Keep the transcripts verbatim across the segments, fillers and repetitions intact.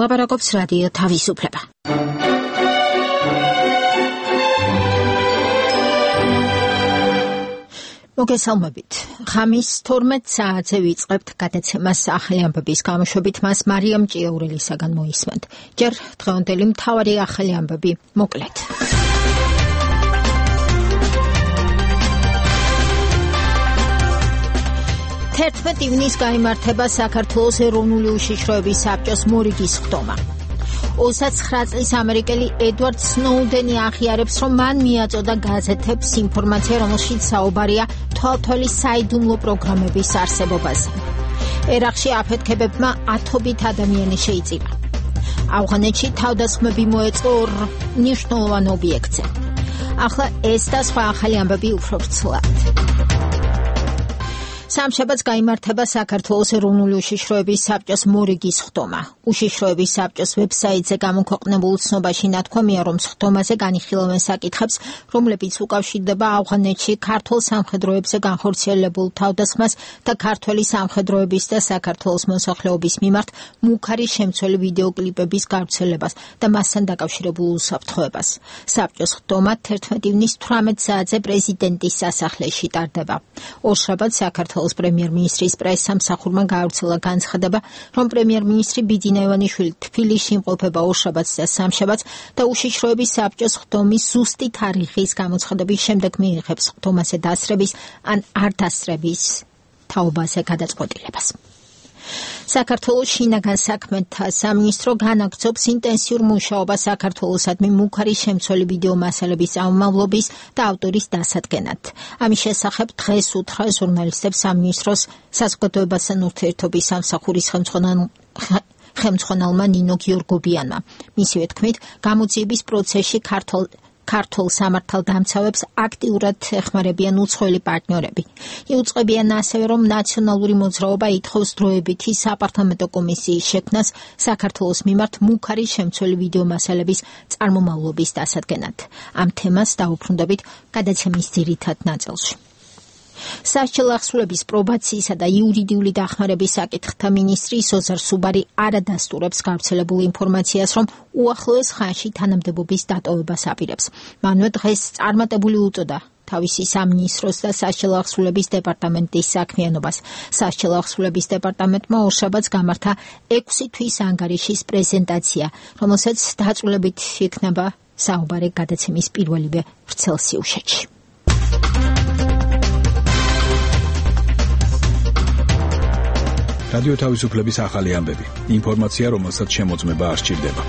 ლაპარაკობს რადიო თავისუფლება. მოგესალმებით. ხამის თორმეტ საათზე ვიწყებთ გადაცემას ახალი ამბების გამოშვებით, მას მარიამ ჭიაურელისაგან მოისმენთ. ჯერ დღევანდელი მთავარი ახალი ამბები მოკლედ. თერთმეტ ივნის გაიმართება საქართველოს ეროვნული უშიშროების საბჭოს მორიგის ხდომა. ოცდაცხრა წლის ამერიკელი ედვარდ სნოუდენი აღიარებს, რომ მან მიაწოდა გაზეთებს ინფორმაცია, რომელშიც საუბარია თვალთვალის საიდუმლო პროგრამების არსებობაზე. ერაყში აფეთქებებმა ათობით ადამიანი შეიწირა. ავღანეთში თავდასხმები მოეწყო ორ მნიშვნელოვან ობიექტზე. ახლა ეს და სხვა ახალი ამბები უფრო ვრცლად. სამშაბათს გაიმართება საქართველოს ეროვნული უშიშროების საბჭოს მორიგის ხდომა. უშიშროების საბჭოს ვებსაიტზე გამოქვეყნებულ ცნობაში ნათქვამია, რომ ხდომაზე განიხილავენ საკითხებს, რომლებიც უკავშირდება ავღანეთში ქართულ სამხედროებზე განხორციელებულ თავდასხმას და ქართველი სამხედროების და საქართველოს მოსახლეობის მიმართ მუქარი შემცველი ვიდეოკლიპების გავრცელებას და მასთან დაკავშირებულ უსაფრთხოებას. საბჭოს ხდომა თერთმეტ ივნის თვრამეტ საათზე პრეზიდენტის სასახლეში ტარდება. ორშაბათს საქართველოს პრემიერ-მინისტრის პრესსამსახურმა გაავრცელა განცხადება, რომ პრემიერ-მინისტრი ბიძინა ივანიშვილი თბილისში იმყოფება ორშაბათს და სამშაბათს და უშიშროების საბჭოს ხდომის ზუსტი თარიღის გამოცხადების შემდეგ მიიღებს ხდომაზე დასწრების ან არ დასწრების თაობაზე გადაწყვეტილებას. საქართველოს შინაგან საქმეთა სამინისტრო განაგრძობს ინტენსიურ მუშაობას საქართველოსადმი მუქარი შემცველი ვიდეო მასალების ამმავლობის და ავტორის დასადგენად. ამის შესახებ დღეს უთხრა ჟურნალისტებს სამინისტროს საზოგადოებასთან ურთიერთობის სამსახურის ხელმძღვანელმა ნინო გიორგობიანმა. მისივე თქმით, გამოძიების პროცესში ქართულ ქართულ სამართალდამცავებს აქტიურად ეხმარებიან უცხოელი პარტნიორები. იუწყებიან ასევე, რომ ნაციონალური მოძრაობა ითხოვს დროებითი საპარლამენტო კომისიის შექმნას საქართველოს მიმართ მუქარი შემცველი ვიდეო მასალების წარმომავლობის დასადგენად. ამ თემას დაუბრუნდებით გადაცემის ძირითად ნაწილში. სასჯელ ახსულების პრობაციისა და იურიდიული დახმარების საკითხთა მინისტრი სოზარ სუბარი არადასტურებს გავრცელებულ ინფორმაციას, რომ უახლოეს ხანში თანამდებობის დატოვებას აპირებს. მანვე დღეს წარმატებული უწოდა თავისი სამინისტროს და სასჯელ ახსულების დეპარტამენტის საქმიანობას. სასჯელ ახსულების დეპარტამენტმა ორშაბათს გამართა ექვსი თვის ანგარიშის პრეზენტაცია, რომელსაც დაწვრილებით იქნება საუბარი გადაცემის პირველივე ვრცელ სიუჟეტში. რადიო თავისუფლების ახალი ამბები. ინფორმაცია, რომელსაც შემოწმება არ სჭირდება.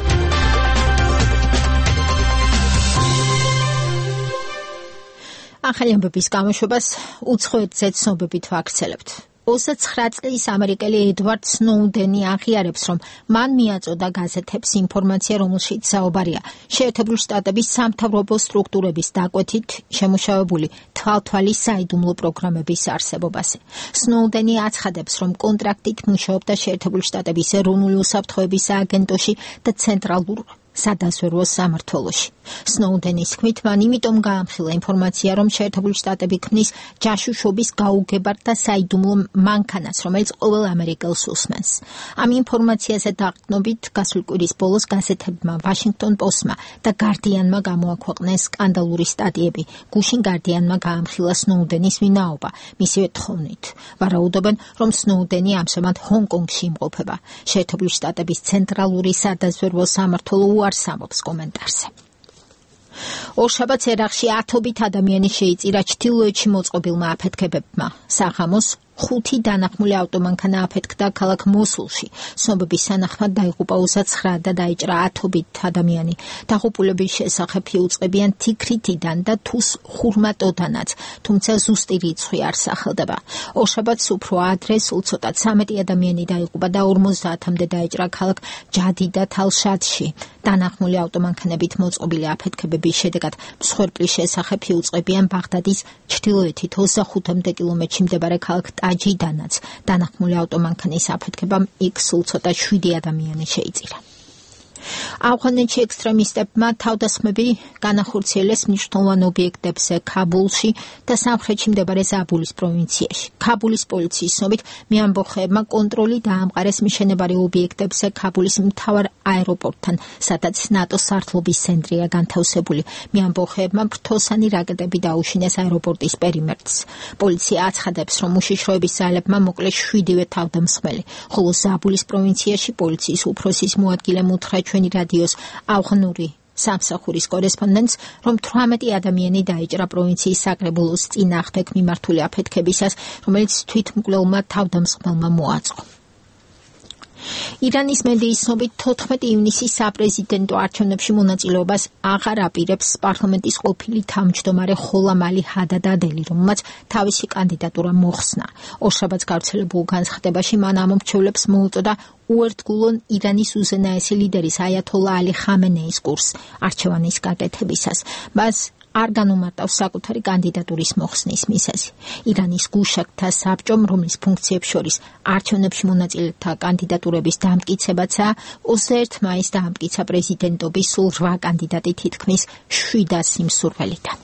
ახალი ამბების გამოშვებას უცხოეთზე ცნობებით ვაქცელებთ. ოცდაცხრა წლის ამერიკელი ედვარდ სნოუდენი აღიარებს, რომ მან მიაწოდა გაზეთებს ინფორმაცია, რომელშიც საუბარია შეერთებული შტატების სამთავრობო სტრუქტურების დაკვეთით შემუშავებული თვალთვალის საიდუმლო პროგრამების არსებობაზე. სნოუდენი აცხადებს, რომ კონტრაქტით მუშაობდა შეერთებული შტატების ეროვნული უსაფრთხოების სააგენტოში და ცენტრალურ სადაზვერვო სამმართველოში. სნოუდენის თქმით, მან იმიტომ გაამხილა ინფორმაცია, რომ შეერთებული შტატები ქმნის ჯაშუშობის გაუგებარ და საიდუმლო მანქანას, რომელიც ყოველ ამერიკელს უსმენს. ამ ინფორმაციაზე დაყრდნობით გასული კვირის ბოლოს გაზეთებმა ვაშინგტონ პოსტმა და გარდიანმა გამოაქვეყნეს სკანდალური სტატიები. გუშინ გარდიანმა გაამხილა სნოუდენის ვინაობა, მისივე თხოვნით. ვარაუდობენ, რომ სნოუდენი ამჟამად ჰონკონგში იმყოფება. შეერთებული შტატების ცენტრალური სადაზვერვო სამმართველო უარს ამბობს კომენტარზე. ორშაბათს ერაყში ათობით ადამიანი შეიწირა ჩრდილოეთში მოწყობილმა აფეთქებებმა. საღამოს ხუთი დანახმული ავტომანქანა აფეთქდა ქალაქ მოსულში. ცნობების თანახმად დაიღუპა ოცდაცხრა და დაიჭრა ათობით ადამიანი. დაღუპულების შესახებ იუწყებიან თიქრითიდან და თუს ხურმატოდანაც, თუმცა ზუსტი რიცხვი არ სახელდება. ორშაბათს უფრო ადრე სულ ცოტა ცამეტი ადამიანი დაიღუპა და ორმოცდაათამდე დაიჭრა ქალაქ ჯადიდა თალშადში. დანახმული ავტომანქანებით მოწყობილი აფეთქებების შედეგად მსხვერპლის შესახებ იუწყებიან ბაღდადის ჩრდილოეთით ოცდახუთამდე კილომეტრში მდებარე ქალაქ ტაჯიდანაც. დანახმული ავტომანქანის აფეთქებამ იქ სულ ცოტა შვიდი ადამიანი შეიწირა. ავღანეთში ექსტრემისტებმა თავდასხმები განახორციელეს მნიშვნელოვან ობიექტებზე ქაბულში და სამხრეთში მდებარე ზაბულის პროვინციაში. ქაბულის პოლიციის ცნობით მეამბოხეებმა კონტროლი დაამყარეს მიშენებარე ობიექტებზე ქაბულის მთავარ აეროპორტთან, სადაც ნატოს სარდლობის ცენტრია განთავსებული. მეამბოხეებმა ფრთოსანი რაკეტები დაუშინეს აეროპორტის პერიმეტრს. პოლიცია აცხადებს, რომ უშიშროების ძალებმა მოკლეს შვიდივე თავდამსხმელი, ხოლო ზაბულის პროვინციაში პოლიციის უფროსის მოადგილემ უთხრა ჩვენი რადიოს ავღანური სამსახურის კორესპონდენტს, რომ თვრამეტი ადამიანი დაიჭრა პროვინციის საკრებულოს წინააღმდეგ მიმართული აფეთქებისას, რომელიც თვითმკვლელმა თავდამსხმელმა მოაწყო. ირანის მედიის ცნობით თოთხმეტი ივნისის საპრეზიდენტო არჩევნებში მონაწილეობას აღარ აპირებს პარლამენტის ყოფილი თავმჯდომარე ხოლამ ალი ჰადადადელი, რომელმაც თავისი კანდიდატურა მოხსნა. ორშაბათს გავრცელებულ განცხადებაში მან ამომრჩევლებს მოუწოდა უერთგულონ ირანის უზენაესი ლიდერის აიათოლა ალი ხამენეის კურსს არჩევანის გაკეთებისას. მას არ განუმარტავს საკუთარი კანდიდატურის მოხსნის მიზეზი. ირანის გუშაგთა საბჭომ, რომლის ფუნქციებს შორის არჩევნებში მონაწილეთა კანდიდატურების დამტკიცებაცაა, ოცდაერთი მაისს დაამტკიცა პრეზიდენტობის სულ რვა კანდიდატი თითქმის შვიდას სიმსურველიდან.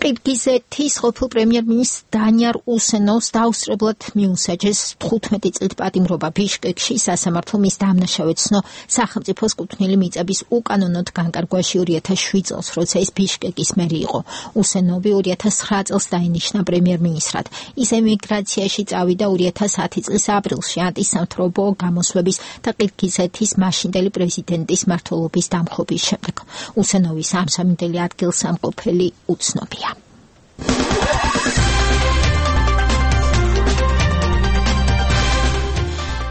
ყირგიზეთის ყოფილ პრემიერ-მინისტრ დანიარ უსენოვს დაუსწრებლად მიუსაჯეს თხუთმეტი წლით პატიმრობა ბიშკეკში სასამართლომ მის დამნაშავედ ცნო სახელმწიფოს კუთვნილი მიწების უკანონოდ განკარგვაში ორი ათას შვიდ წელს, როცა ის ბიშკეკის მერი იყო. უსენოვი ორი ათას ცხრა წელს დაინიშნა პრემიერ-მინისტრად. ის ემიგრაციაში წავიდა ორი ათას ათი წლის აპრილში ანტისამთავრობო გამოსვლების და ყირგიზეთის მაშინდელი პრეზიდენტის მმართველობის დამხობის შემდეგ. უსენოვის ამსამინდელი ადგილსამყოფელი უცნობია.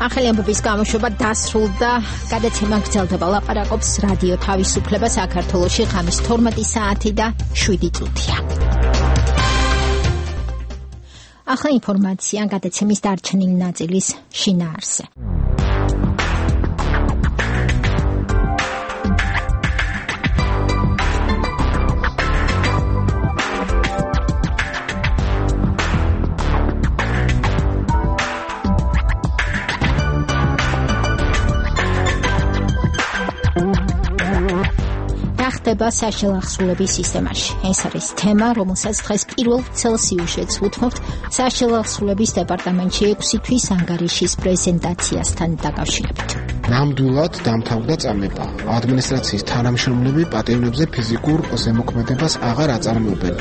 ახალი ამბების გამოშვება დასრულდა. გადაცემა გრძელდება. ლაპარაკობს რადიო თავისუფლება საქართველოში ღამის თორმეტი საათი და შვიდი წუთია. ახლა ინფორმაცია გადაცემის დარჩენილი ნაწილის შინაარსზე. ხდება საშელახსრულების სისტემაში. ეს არის თემა, რომელსაც დღეს პირველ ცელსიუსშიც ვუთმობთ საშელახსრულების დეპარტამენტში ექვსი თვის ანგარიშის პრეზენტაციასთან დაკავშირებით. ნამდვილად დამთავრდა წამება. ადმინისტრაციის თანამშრომლები პატევნებზე ფიზიკურ ზემოქმედებას აღარ აწარმოებენ.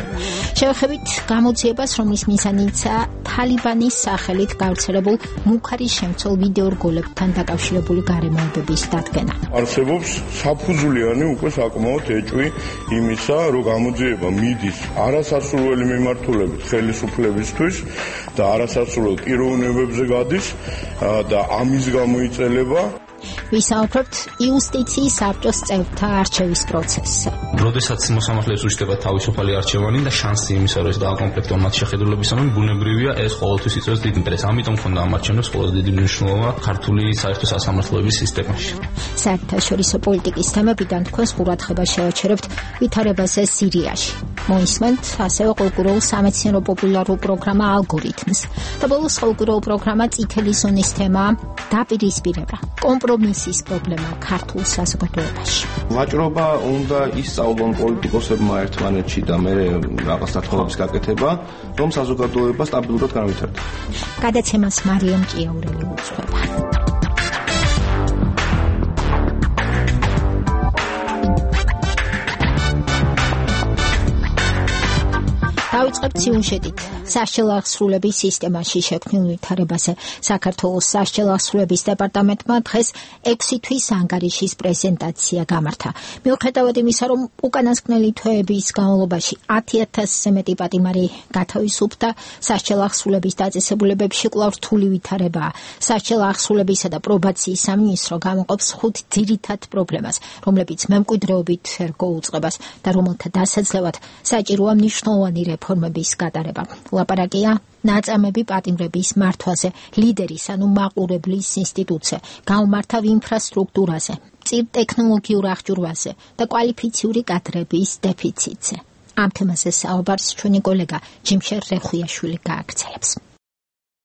შევხედით გამოძიებას, რომლის მიზანიცაა თალიბანის სახელით გავრცელებულ მუქარის შემცველ ვიდეორგოლებთან დაკავშირებული გარემოებების დადგენა. არსებობს საფუძვლიანი უკვე საკმაოდ ეჭვი იმისა, რომ გამოძიება მიდის არასასურველი მიმართულებით ხელისუფლებისთვის და არასასურველ პიროვნებებზე გადის და ამის გამო იწელება. ვისაუბრებთ იუსტიციის საბჭოს წევრთა არჩევის პროცესზე. როდესაც მოსამართლეებს უშდება თავისუფალი არჩევანი და შანსი იმისა, რომ ეს დააკომპლექტონ მათ შეხედულებისამან, ბუნებრივია ეს ყოველთვის იწვევს დიდ ინტერესს. ამიტომ ქონდა ამ არჩევნებს ყველაზე დიდი მნიშვნელობა ქართული საერთო სასამართლოების სისტემაში. საერთაშორისო პოლიტიკის თემებიდან თქვენს ყურადღებას შევაჩერებთ ვითარებაზე სირიაში. მოისმენთ ასევე ყოველკვირეულ სამეცნიერო პოპულარულ პროგრამა ალგორითმს და ბოლოს ყოველკვირეულ პროგრამა წითელი ზონის თემაა დაპირისპირება. კომპრომისის პრობლემა ქართულ საზოგადოებაში. ვაჭრობა უნდა ისწავლონ პოლიტიკოსებმა ერთმანეთში და მე რაღაც დათხოვების გაკეთება, რომ საზოგადოება სტაბილურად განვითარდეს. გადაცემას მარიამ ჭიაურელი უძღვება. დავიწყებთ სიუჟეტით. საშელახსრულების სისტემაში შექმნილ ვითარებაზე. საქართველოს საშელახსრულების დეპარტამენტმა დღეს ექვსი თვის ანგარიშის პრეზენტაცია გამართა. მიუხედავად იმისა, რომ უკანასკნელი თვეების განმავლობაში ათი ათასზე მეტი პატიმარი გათავისუფლდა, საშელახსრულების დაწესებულებებში კვლავ რთული ვითარებაა. საშელახსრულებისა და პრობაციის სამინისტრო გამოყოფს ხუთ ძირითად პრობლემას, რომლებიც მემკვიდრეობით ერგო უწყებას და რომელთა დასაძლევად საჭიროა მნიშვნელოვანი რეფორმების გატარება. ლაპარაკია ნაწამები პატიმრების მართვაზე, ლიდერის ანუ მაყურებლის ინსტიტუტზე, გაუმართავ ინფრასტრუქტურაზე, წირ ტექნოლოგიურ აღჭურვაზე და კვალიფიციური კადრების დეფიციტზე. ამ თემაზე საუბარს ჩვენი კოლეგა ჯიმშერ რეხუიაშვილი გააგრძელებს.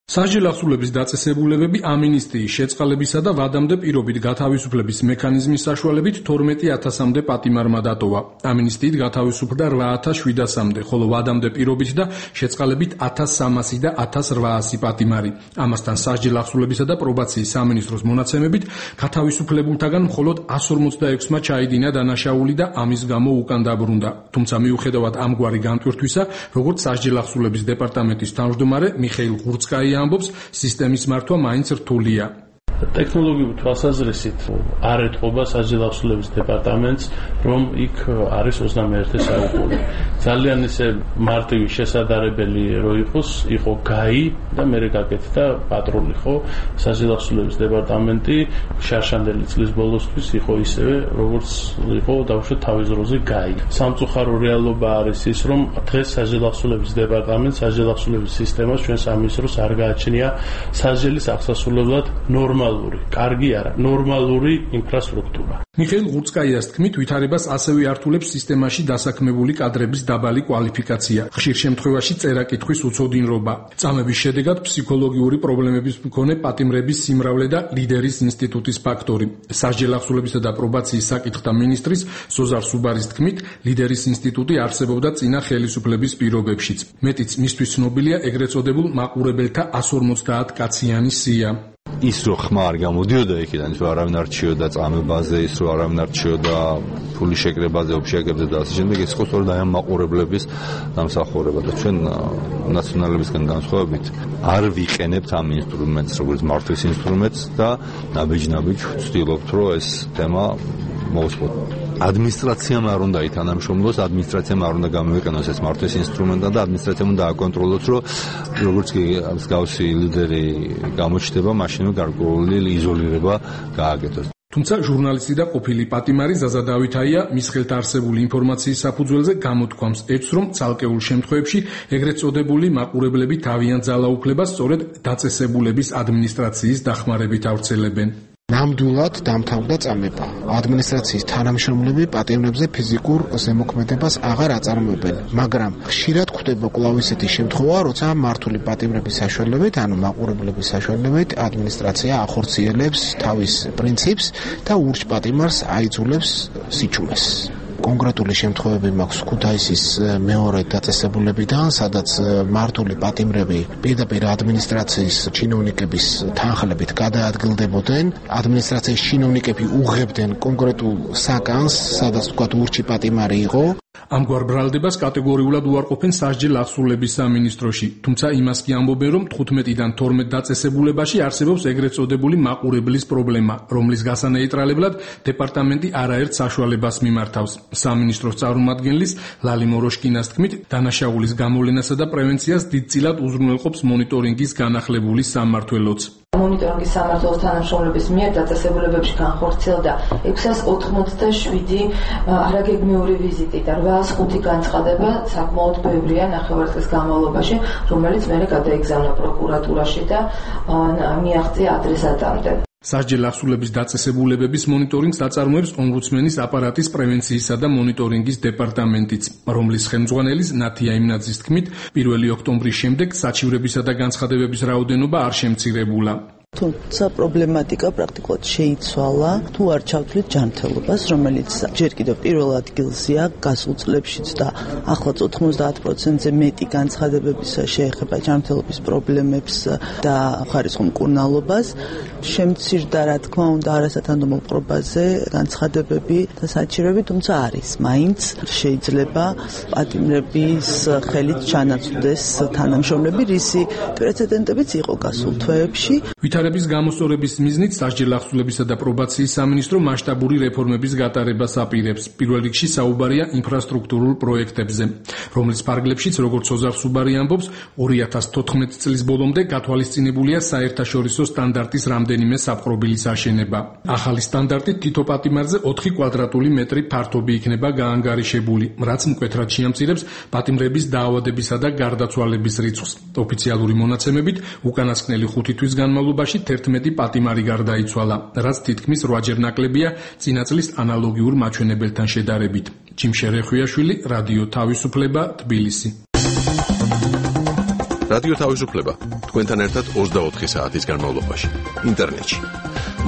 სასჯელ ახსულების დაწესებულებები ამინისტიის შეწყალებისა და ვადამდე პირობით გათავისუფლების მექანიზმის საშუალებით თორმეტი ათასამდე პატიმარმა დატოვა. ამინისტიით გათავისუფლდა რვა ათას შვიდასამდე, ხოლო ვადამდე პირობით და შეწყალებით ათას სამასი და ათას რვაასი პატიმარი. ამასთან სასჯელ ახსულებისა და პრობაციის სამინისტროს მონაცემებით გათავისუფლებულთაგან მხოლოდ εκατს ორმოცდაექვსმა ჩაიდინა დანაშაული და ამის გამო უკან დაბრუნდა. თუმცა მიუხედავად ამგვარი განტვირთვისა, როგორც სასჯელ ახსულების დეპარტამენტის თავმჯდომარე მიხეილ ღურცკაია ამბობს, სისტემის მართვა მაინც რთულია. ტექნოლოგიური თვალსაზრისით არ ეთყობა სასჯელ ახსულების დეპარტამენტს, რომ იქ არის ოცდამეერთე საუკუნე. ძალიან ისე მარტივი შესაძლებელი რო იყოს, იყო გაი და მერე გაკეთდა პატრული, ხო? სასჯელ ახსულების დეპარტამენტი შარშანდელი წლის ბოლოსთვის იყო ისევე, როგორც იყო დაუშვათ თავის დროზე გაი. სამწუხარო რეალობა არის ის, რომ დღეს სასჯელ ახსულების დეპარტამენტს სასჯელ ახსულების სისტემას ჩვენ სამინისტროს არ გააჩნია სასჯელის აღსასრულებლად ნორმალური კარგი არა, ნორმალური ინფრასტრუქტურა. მიხეილ ღურცკაიას თქმით, ვითარებას ასევე ართულებს სისტემაში დასაქმებული კადრების დაბალი კვალიფიკაცია, ხშირ შემთხვევაში წერა-კითხვის უცოდინრობა. წამების შედეგად ფსიქოლოგიური პრობლემების მქონე პატიმრების სიმრავლე და ლიდერის ინსტიტუტის ფაქტორი. სასჯელ ახსულებისა და პრობაციის საკითხთა მინისტრის სოზარ სუბარის თქმით, ლიდერის ინსტიტუტი არსებობდა წინა ხელისუფლების პირობებშიც. მეტიც მისთვის ცნობილია ეგრეთ წოდებულ მაყურებელთა εκατს ორმოცდაათ კაციანი სია. ის რო ხმა არ გამოდიოდა იქიდან, ის რო არავინ არ რჩიოდა წამებაზე, ის რო არავინ არ რჩიოდა ფულის შეკრებაზე, ოფშეკებზე და ასე შემდეგ, ეს იყო სწორედ აი ამ მაყურებლების დამსახურება და ჩვენ ნაციონალებისგან განსხვავებით არ ვიყენებთ ამ ინსტრუმენტს, როგორც მართვის ინსტრუმენტს და ნაბიჯ-ნაბიჯ ვცდილობთ, რომ ეს თემა მოვსწროთ. ადმინისტრაციამ არ უნდა ითანამშრომლოს, ადმინისტრაციამ არ უნდა გამოიყენოს ეს მართვის ინსტრუმენტად და ადმინისტრაციამ უნდა აკონტროლოს, რომ როგორც კი მსგავსი ლიდერი გამოჩნდება, მაშინ გარკვეული იზოლირება გააკეთოს. თუმცა ჟურნალისტი და ყოფილი პატიმარი ზაზა დავითაია მის ხელთ არსებული ინფორმაციის საფუძველზე გამოთქვამს ეჭვს, რომ ცალკეულ შემთხვევებში ეგრეთ წოდებული მაყურებლები თავიანთ ძალაუფლებას სწორედ დაწესებულების ადმინისტრაციის დახმარებით ავრცელებენ. ნამდვილად დამთავრდა წამება. ადმინისტრაციის თანამშრომლები პატიმრებზე ფიზიკურ ზემოქმედებას აღარ აწარმოებენ, მაგრამ ხშირად გვხვდება კვლავ ისეთი შემთხვევა, როცა მართული პატიმრების საშუალებით, ანუ მაყურებლების საშუალებით, ადმინისტრაცია ახორციელებს თავის პრინციპს და ურჩ პატიმარს აიძულებს სიჩუმეს. კონკრეტული შემთხვევები მაქვს ქუთაისის მეორე დაწესებულებიდან, სადაც მართული პატიმრები პირდაპირ ადმინისტრაციის ჩინოვნიკების თანხლებით გადაადგილდებოდნენ. ადმინისტრაციის ჩინოვნიკები უღებდნენ კონკრეტულ საკანს, სადაც თქვათ ურჩი პატიმარი იყო. ამგვარ ბრალდებას კატეგორიულად უარყოფენ სასჯელ ახსულების სამინისტროში, თუმცა იმას კი ამბობენ, რომ თხუთმეტიდან თორმეტ დაწესებულებაში არსებობს ეგრეთ წოდებული მაყურებლის პრობლემა, რომლის გასანეიტრალებლად დეპარტამენტი არაერთ საშუალებას მიმართავს. სამინისტროს წარმომადგენლის ლალი მოროშკინას თქმით, დანაშაულის გამოვლენასა და პრევენციას დიდწილად უზრუნველყოფს მონიტორინგის განახლებული სამმართველოც. მონიტორინგის სამმართველოს თანამშრომლების მიერ დაწესებულებებში განხორციელდა ექვსას ოთხმოცდაშვიდი არაგეგმიური ვიზიტი და რვაას ხუთი განცხადება საკმაოდ ბევრია ნახევარწლის განმავლობაში, რომელიც მერე გადაიგზავნა პროკურატურაში და მიაღწია ადრესატამდე. სასჯელ ახსულების დაწესებულებების მონიტორინგს აწარმოებს ომბუდსმენის აპარატის პრევენციისა და მონიტორინგის დეპარტამენტიც, რომლის ხელმძღვანელის ნათია იმნაძის თქმით, პირველი ოქტომბრის შემდეგ საჩივრებისა და განცხადებების რაოდენობა არ შემცირებულა. თუმცა პრობლემატიკა პრაქტიკულად შეიცვალა, თუ არ ჩავთვლით ჯანმრთელობას, რომელიც ჯერ კიდევ პირველ ადგილზეა გასულ წლებშიც და ახლაც ოთხმოცდაათ პროცენტზე მეტი განცხადებების შეეხება ჯანმრთელობის პრობლემებს და ხარისხო მკურნალობას. შემცირდა, რა თქმა უნდა, არასათანადო პრობაზე განცხადებები და საჩივრები, თუმცა არის. მაინც შეიძლება პატიმრების ხელით ჩანაცვლდეს თანამშრომლები, რისი პრეცედენტებიც იყო გასულ თვეებში. ვითარების გამოსწორების მიზნით სასჯელ ახსულებისა და პრობაციის სამინისტრო მასშტაბური რეფორმების გატარებას აპირებს. პირველ რიგში საუბარია ინფრასტრუქტურულ პროექტებზე, რომლის ფარგლებშიც, როგორც ოზარ სუბარი ამბობს, ორი ათას თოთხმეტი წლის ბოლომდე გათვალისწინებულია საერთაშორისო სტანდარტის რამდენიმე საპყრობილის აშენება. ახალი სტანდარტით თითო პატიმარზე ოთხი კვადრატული მეტრი ფართობი იქნება გაანგარიშებული, რაც მკვეთრად შეამცირებს პატიმრების დაავადებისა და გარდაცვალების რიცხვს. ოფიციალური მონაცემებით უკანასკნელი ხუთი თვის განმავლობაში თერთმეტი პატიმარი გარდაიცვალა, რაც თითქმის რვაჯერ ნაკლებია წინა წლის ანალოგიურ მაჩვენებელთან შედარებით. ჯიმშე რეხვიაშვილი, რადიო თავისუფლება, თბილისი. რადიო თავისუფლება თქვენთან ერთად ოცდაოთხი საათის განმავლობაში ინტერნეტში.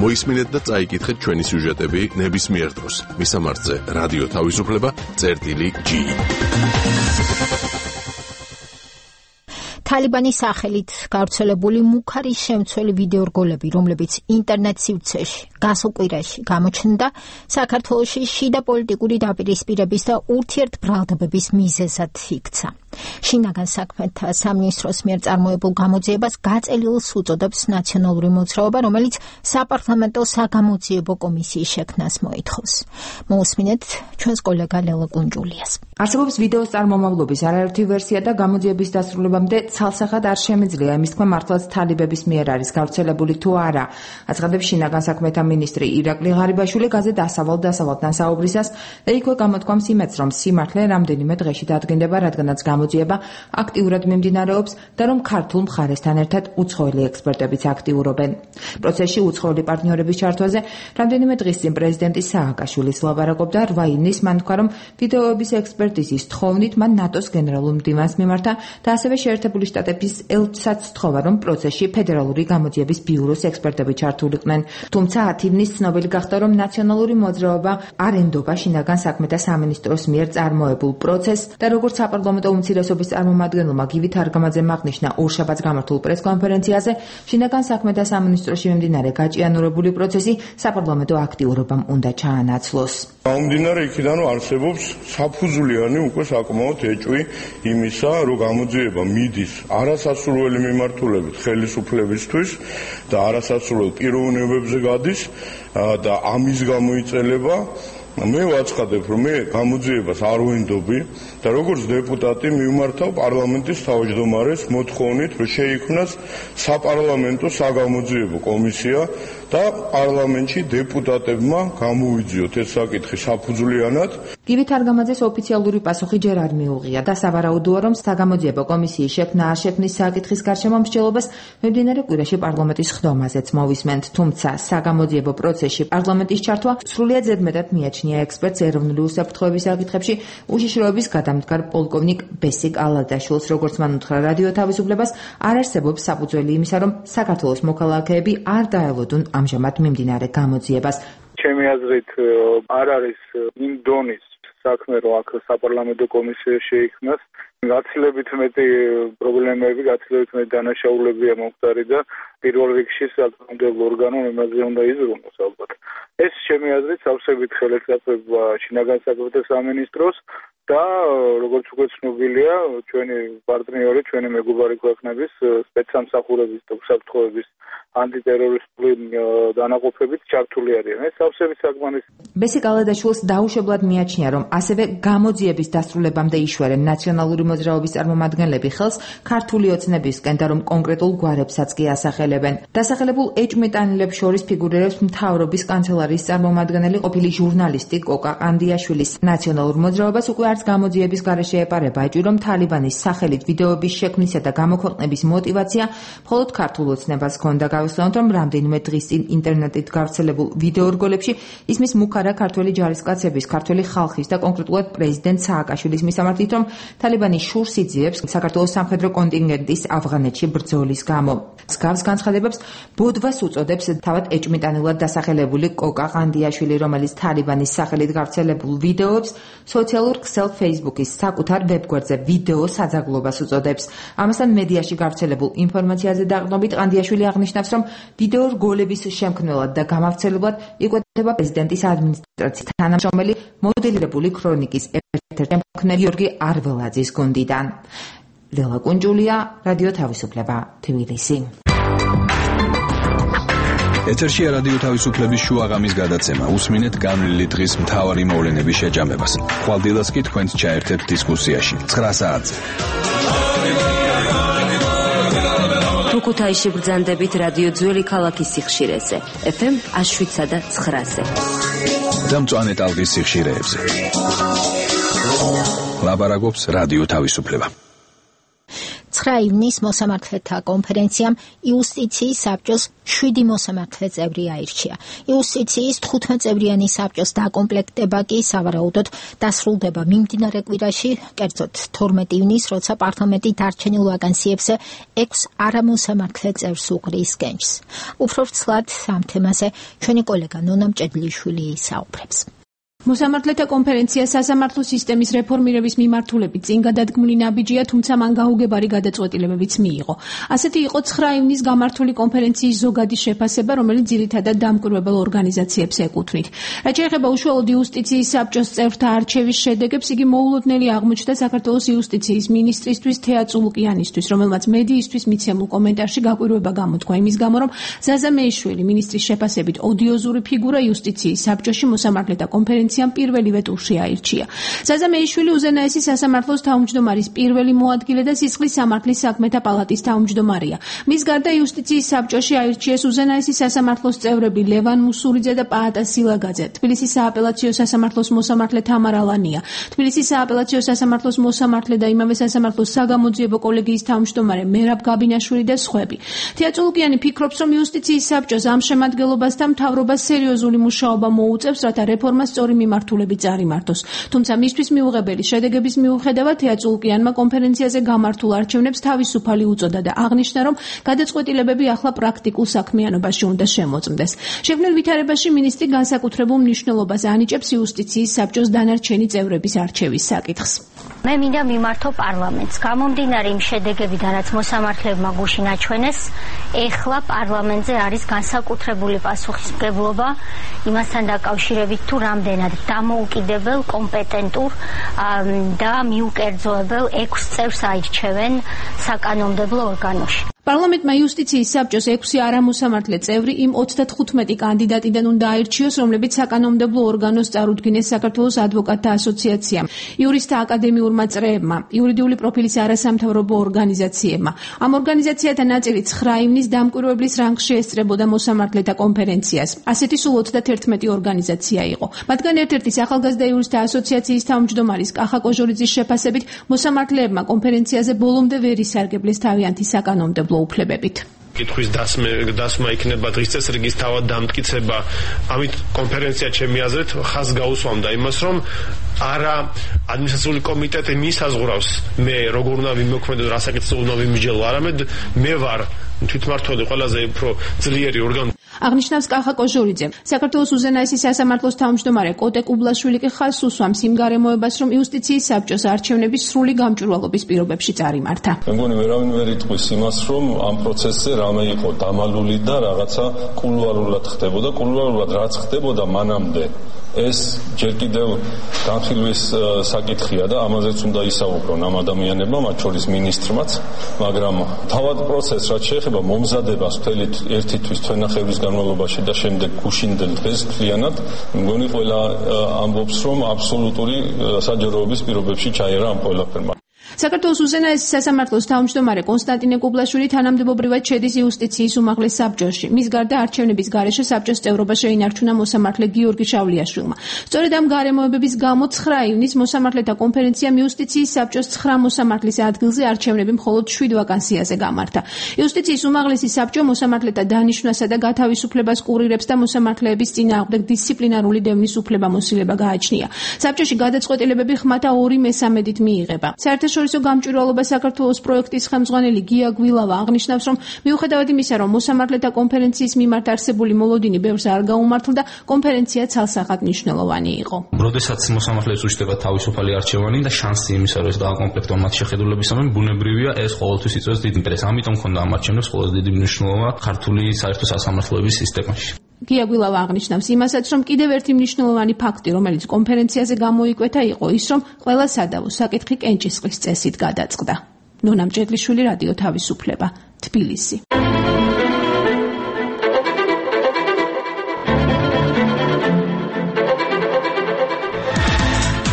მოისმინეთ და წაიკითხეთ ჩვენი სიუჟეტები ნებისმიერ დროს. მისამართზე რადიო თავისუფლება წერტილი ჯი. თალიბანის სახელით გავრცელებული მუქარი შემცველი ვიდეორგოლები, რომლებიც ინტერნეტ სივრცეში გასულ კვირაში გამოჩნდა, საქართველოში შიდა პოლიტიკური დაპირისპირების და ურთიერთბრალდებების მიზეზად იქცა. შინაგან საქმეთა სამინისტროს მიერ წარმოებულ გამოძიებას გაწეილს უწოდებს ნაციონალური მოძრაობა, რომელიც საპარლამენტო საგამოძიებო კომისიის შექმნას მოითხოვს. მოусმინეთ ჩვენს კოლეგა ლელა კუნჯულიას. არსებობს ვიდეოს წარმომავლობის არაერთი ვერსია და გამოძიების დასრულებამდე ცალსახად არ შემიძლია იმის თქმა მართლაც თალიბების მიერ არის გავრცელებული თუ არა. აცხადებს შინაგან საქმეთა მინისტრი ირაკლი ღარიბაშვილი გაზეთ ასავალ დასავალთან საუბრისას და იქვე გამოთქვამს იმედს, რომ სიმართლე რამდენიმე დღეში დადგინდება, რადგანაც გამოძიება აქტიურად მიმდინარეობს და რომ ქართულ მხარესთან ერთად უცხოელი ექსპერტებიც აქტიურობენ. პროცესში უცხოელი პარტნიორების ჩართვაზე რამდენიმე დღის წინ პრეზიდენტი სააკაშვილის ლაპარაკობდა. რვა ივნის მან თქვა, რომ ვიდეოების ექსპერტიზის თხოვნით მან ნატოს გენერალურ მდივანს მიმართა და ასევე შეერთებული შტატების ელჩსაც სთხოვა, რომ პროცესში ფედერალური გამოძიების ბიუროს ექსპერტები ჩართულიყვნენ. თუმცა ათი ივნის ცნობილი გახდა, რომ ნაციონალური მოძრაობა არ ენდობა შინაგან საქმეთა სამინისტროს მიერ წარმოებულ პროცესს და როგორც საპარლამენტო უმცირესობის წარმომადგენელმა გივი თარგამაძემ აღნიშნა ორშაბათს გამართულ პრესკონფერენციაზე, შინაგან საქმეთა სამინისტროში მიმდინარე გაჭიანურებული პროცესი საპარლამენტო აქტიურობამ უნდა ჩაანაცვლოს. გამომდინარე იქიდან, რომ არსებობს საფუძვლიანი უკვე საკმაოდ ეჭვი იმისა, რომ გამოძიება მიდის არასასურველი მიმართულებით ხელისუფლებისთვის და არასასურველ პიროვნებებზე გადის და ამის გამოიწელება მე ვაცხადებ, რომ მე გამოძიებას არ ვენდობი და როგორც დეპუტატი მივმართავ პარლამენტის თავმჯდომარეს მოთხოვნით, რომ შეიქმნას საპარლამენტო საგამოძიებო კომისია და პარლამენტში დეპუტატებმა გამოვიძიოთ ეს საკითხი საფუძვლიანად. გივი თარგამაძეს ოფიციალური პასუხი ჯერ არ მიუღია და სავარაუდოა, რომ საგამოძიებო კომისიის შექმნა არ შექმნის საკითხის გარშემო მსჯელობას მიმდინარე კვირაში პარლამენტის ხდომაზეც მოვისმენთ. თუმცა საგამოძიებო პროცესში პარლამენტის ჩართვა სრულიად ზედმეტად მიაჩნია ექსპერტს ეროვნული უსაფრთხოების საკითხებში უშიშროების გადამდგარ პოლკოვნიკ ბესიკ ალადაშვილს. როგორც მან უთხრა რადიო თავისუფლებას, არ არსებობს საფუძველი იმისა, რომ საქართველოს მოქალაქეები არ დაელოდონ ამჟამად მიმდინარე გამოძიებას. ჩემი აზრით არ არის იმ დონის საქმე, რომ აქ საპარლამენტო კომისია შეიქმნას. გაცილებით მეტი პრობლემები, გაცილებით მეტი დანაშაულებია მომხდარი და პირველ რიგში საკანონმდებლო ორგანომ იმაზე უნდა იზრუნოს ალბათ. ეს ჩემი აზრით სავსებით ხელისაწვება შინაგან საქმეთა სამინისტროს და როგორც უკვე ცნობილია, ჩვენი პარტნიორი, ჩვენი მეგობარი ქვეყნების სპეცსამსახურების და უსაფრთხოების ანტიტერორისტული დანაყოფებით ჩართული არიან. ეს სავსებით საკმარისი. ბესიკ ალადაშვილს დაუშვებლად მიაჩნია, რომ ასევე გამოძიების დასრულებამდე იშვერენ ნაციონალური მოძრაობის წარმომადგენლები ხელს ქართული ოცნებისკენ და რომ კონკრეტულ გვარებსაც კი ასახელებენ. დასახელებულ ეჭვმეტანილებს შორის ფიგურირებს მთავრობის კანცელარიის წარმომადგენელი ყოფილი ჟურნალისტი კოკა ყანდიაშვილის. ნაციონალურ მოძრაობას უკვე არც გამოძიების გარეშე ეპარება ეჭვი, რომ თალიბანის სახელით ვიდეოების შექმნისა და გამოქვეყნების мотиваცია მხოლოდ ქართულ ოცნებას ჰქონდა. გავიხსენოთ, რომ რამდენიმე დღის წინ ინტერნეტით გავრცელებულ ვიდეორგოლებში ისმის მუქარა ქართველი ჯარისკაცების, ქართველი ხალხის და კონკრეტულად პრეზიდენტ სააკაშვილის მისამართით, რომ თალიბანი შურს იძიებს საქართველოს სამხედრო კონტინგენტის ავღანეთში ბრძოლის გამო. მსგავს განცხადებებს ბოდვას უწოდებს თავად ეჭვმიტანილად დასახელებული კოკა ყანდიაშვილი, რომელიც თალიბანის სახელით გავრცელებულ ვიდეოებს სოციალურ ქსელ Facebook-ის საკუთარ ვებგვერდზე ვიდეო საძაღლობას უწოდებს. ამასთან მედიაში გავრცელებულ ინფორმაციაზე დაყრდნობით ყანდიაშვილი აღნიშნავს, რომ ვიდეორგოლების შემქმნელად და გამავრცელებლად იკვეთება პრეზიდენტის ადმინისტრაციის თანამშრომელი მოდელირებული ქრონიკის ერთ-ერთი შემქმნელი გიორგი არველაძის გუნდიდან. ლელა კუნჯულია, რადიო თავისუფლება, თბილისი. ეთერშია რადიო თავისუფლების შუაღამის გადაცემა. უსმინეთ განვლილი დღის მთავარი მოვლენების შეჯამებას. ხვალდილას კი თქვენს ჩაერთებთ დისკუსიაში. ცხრა საათზე. ქუთაისში ბრძანდებით რადიო ძველი ქალაქის სიხშირეზე. ეფ ემ შვიდსა და ცხრაზე. და მწვანე ტალღის სიხშირეებზე. ლაპარაკობს რადიო თავისუფლება. ცხრა ივნის მოსამართლეთა კონფერენციამ იუსტიციის საბჭოს შვიდი მოსამართლე წევრი აირჩია. იუსტიციის თხუთმეტ-წევრიანი საბჭოს დაკომპლექტება კი სავარაუდოდ დასრულდება მიმდინარე კვირაში, კერძოდ თორმეტ ივნის, როცა პარლამენტი დარჩენილ ვაკანსიებზე ექვს არამოსამართლე წევრს უყრის კენჭს. უფრო ვრცლად ამ თემაზე ჩვენი კოლეგა ნონა მჭედლიშვილი საუბრებს. მოსამართლეთა კონფერენცია სასამართლო სისტემის რეფორმირების მიმართულებით წინ გადადგმული ნაბიჯია, თუმცა მან გაუგებარი გადაწყვეტილებებიც მიიღო. ასეთი იყო ცხრა ივნის გამართული კონფერენციის ზოგადი შეფასება, რომელიც ძირითადად დამკვირვებელ ორგანიზაციებს ეკუთვნით. რაც შეეხება უშუალოდ იუსტიციის საბჭოს წევრთა არჩევის შედეგებს, იგი მოულოდნელი აღმოჩნდა საქართველოს იუსტიციის მინისტრისთვის თეა წულუკიანისთვის, რომელმაც მედიისთვის მიცემულ კომენტარში გაკვირვება გამოთქვა იმის გამო, რომ ზაზა მეიშვილი მინისტრის შეფასებით ოდიოზური ფიგურა იუსტიციის საბჭოში მოსამართლეთა კონფერენციაში პირველივე ტურში აირჩია. ზაზა მეიშვილი უზენაესი სასამართლოს თავმჯდომარის პირველი მოადგილე და სისხლის სამართლის საქმეთა პალატის თავმჯდომარია. მის გარდა იუსტიციის საბჭოში აირჩიეს უზენაესი სასამართლოს წევრები ლევან მუსურიძე და პაატა სილაგაძე, თბილისის სააპელაციო სასამართლოს მოსამართლე თამარა ლანია, თბილისის სააპელაციო სასამართლოს მოსამართლე და იმავე სასამართლოს საგამოძიებო კოლეგიის თავმჯდომარე მერაბ გაბინაშვილი და სხვები. თეა წულუკიანი ფიქრობს, რომ იუსტიციის საბჭოს ამ შემადგენლობასთან მთავრობას სერიოზული მუშაობა მოუწევს, რათა რეფორმა სწორი მიმართულებით წარიმართოს. თუმცა მისთვის მიუღებელი შედეგების მიუხედავად თეა წულუკიანმა კონფერენციაზე გამართულ არჩევნებს თავისუფალი უწოდა და აღნიშნა, რომ გადაწყვეტილებები ახლა პრაქტიკულ საქმიანობაში უნდა შემოწმდეს. შექმნილ ვითარებაში მინისტრი განსაკუთრებულ მნიშვნელობას ანიჭებს იუსტიციის საბჭოს დანარჩენი წევრების არჩევის საკითხს. მე მინდა მიმართო პარლამენტს. გამომდინარე იმ შედეგებიდან, რაც მოსამართლებმა გუშინ აჩვენეს, ეხლა პარლამენტზე არის განსაკუთრებული პასუხისმგებლობა იმასთან დაკავშირებით, თუ რამდენად დამოუკიდებელ, კომპეტენტურ და მიუკერძოებელ ექვს წევრს აირჩევენ საკანონმდებლო ორგანოში. პარლამენტმა იუსტიციის საბჭოს ექვსი არამოსამართლე წევრი იმ ოცდათხუთმეტი კანდიდატიდან უნდა აირჩიოს, რომლებიც საკანონმდებლო ორგანოს წარუდგინეს საქართველოს ადვოკატთა ასოციაციამ, იურისტთა აკადემიურმა წრეებმა, იურიდიული პროფილის არასამთავრობო ორგანიზაციებმა. ამ ორგანიზაციათა ნაწილი ცხრა ივნის დამკვირვებლის რანგში ესწრებოდა მოსამართლეთა კონფერენციას. ასეთი სულ ოცდათერთმეტი ორგანიზაცია იყო. მათგან ერთ-ერთის ახალგაზრდა იურისტთა ასოციაციის თავმჯდომარის კახა კოჟორიძის შეფასებით, მოსამართლეებმა კონფერენციაზე ბოლომდე ვერ ისარგებლეს თავიანთი საკანონმდებლო უფლებებით. კითხვის დასმა იქნება დღის წესრიგის თავად დამტკიცება. ამით კონფერენცია ჩემი აზრით ხაზს გაუსვამდა იმას, რომ არა ადმინისტრაციული კომიტეტი მისაზღვრავს მე როგორ უნდა ვიმოქმედო, რა საკითხზე უნდა ვიმსჯელო, არამედ მე ვარ თვითმმართველი ყველაზე უფრო ძლიერი ორგანო. აღნიშნავს კახა კოჟორიძე. საქართველოს უზენაესი სასამართლოს თავმჯდომარე კოტე კუბლაშვილი კი ხაზს უსვამს იმ გარემოებას, რომ იუსტიციის საბჭოს არჩევნების სრული გამჭვირვალობის პირობებში წარიმართა. მე მგონი ვერავინ ვერ იტყვის იმას, რომ ამ პროცესზე რამე იყო დამალული და რაღაცა კულუარულად ხდებოდა, კულუარულად რაც ხდებოდა მანამდე. ეს ჯერ კიდევ განხილვის საკითხია და ამაზეც უნდა ისაუბრონ ამ ადამიანებმა, მათ შორის მინისტრმაც, მაგრამ თავად პროცესს რაც შეეხება მომზადებას მთელი ერთი თვის თვენახევრის განმავლობაში და შემდეგ გუშინდელ დღეს მთლიანად, მგონი ყველა ამბობს, რომ აბსოლუტური საჯაროების პირობებში ჩაერა ამ ყველაფერმა. საქართველოს უზენაესი სასამართლოს თავმჯდომარე კონსტანტინე კუბლაშვილი თანამდებობრივად შედის იუსტიციის უმაღლეს საბჭოში. მის გარდა არჩევნების გარეშე საბჭოს წევრობა შეინარჩუნა მოსამართლე გიორგი შავლიაშვილმა. სწორედ ამ გარემოებების გამო ცხრა ივნის მოსამართლეთა კონფერენციამ იუსტიციის საბჭოს ცხრა მოსამართლის ადგილზე არჩევნები მხოლოდ შვიდ ვაკანსიაზე გამართა. იუსტიციის უმაღლესი საბჭო მოსამართლეთა დანიშვნასა და გათავისუფლებას კურირებს და მოსამართლეების წინააღმდეგ დისციპლინარული დევნის უფლებამოსილება გააჩნია. საბჭოში გადაწყვეტილებები ხმათა ორი მესამედით მიიღება. საერთაშორისო გამჭვირვალობა საქართველოს პროექტის ხელმძღვანელი გია გვილავა აღნიშნავს, რომ მიუხედავად იმისა, რომ მოსამართლეთა კონფერენციის მიმართ არსებული მოლოდინი ბევრს არ გაუმართლდა, კონფერენცია ცალსახად მნიშვნელოვანი იყო. როდესაც მოსამართლეებს უშდება თავისუფალი არჩევანი და შანსი იმისა, რომ ეს დააკომპლექტონ მათ შეხედულებისამე, ბუნებრივია ეს ყოველთვის იწვევს დიდ ინტერესს. ამიტომ ქონდა ამ არჩევნებს ყველაზე დიდი მნიშვნელობა ქართული საერთო სასამართლოების სისტემაში. გია გვილავა აღნიშნავს იმასაც, რომ კიდევ ერთი მნიშვნელოვანი ფაქტი, რომელიც კონფერენციაზე გამოიკვეთა, იყო ის, რომ ყველა სადავო საკითხი კენჭისყრის წესით გადაწყდა. ნონა მჭედლიშვილი, რადიო თავისუფლება, თბილისი.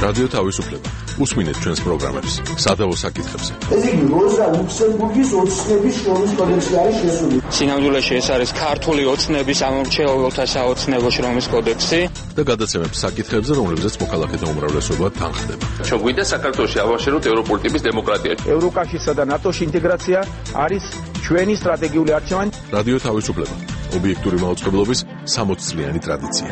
რადიო თავისუფლება უსმინეთ ჩვენს პროგრამებს სადავო საკითხებზე. ესე იგი, როზა ლუქსემბურგის ოცნების შრომის კოდექსი არის შესული. სინამდვილეში ეს არის ქართული ოცნების ამორჩეულთა საოცნებო შრომის კოდექსი და გადაცემებს საკითხებზე, რომლებზეც მოქალაქეთა უმრავლესობა თანხდება. ჩვენ გვინდა საქართველოში ავაშეროთ ევროპული ტიპის დემოკრატია. ევროკავშირსა და ნატოში ინტეგრაცია არის ჩვენი სტრატეგიული არჩევანი. რადიო თავისუფლება, ობიექტური მაუწყებლობის სამოცწლიანი ტრადიცია.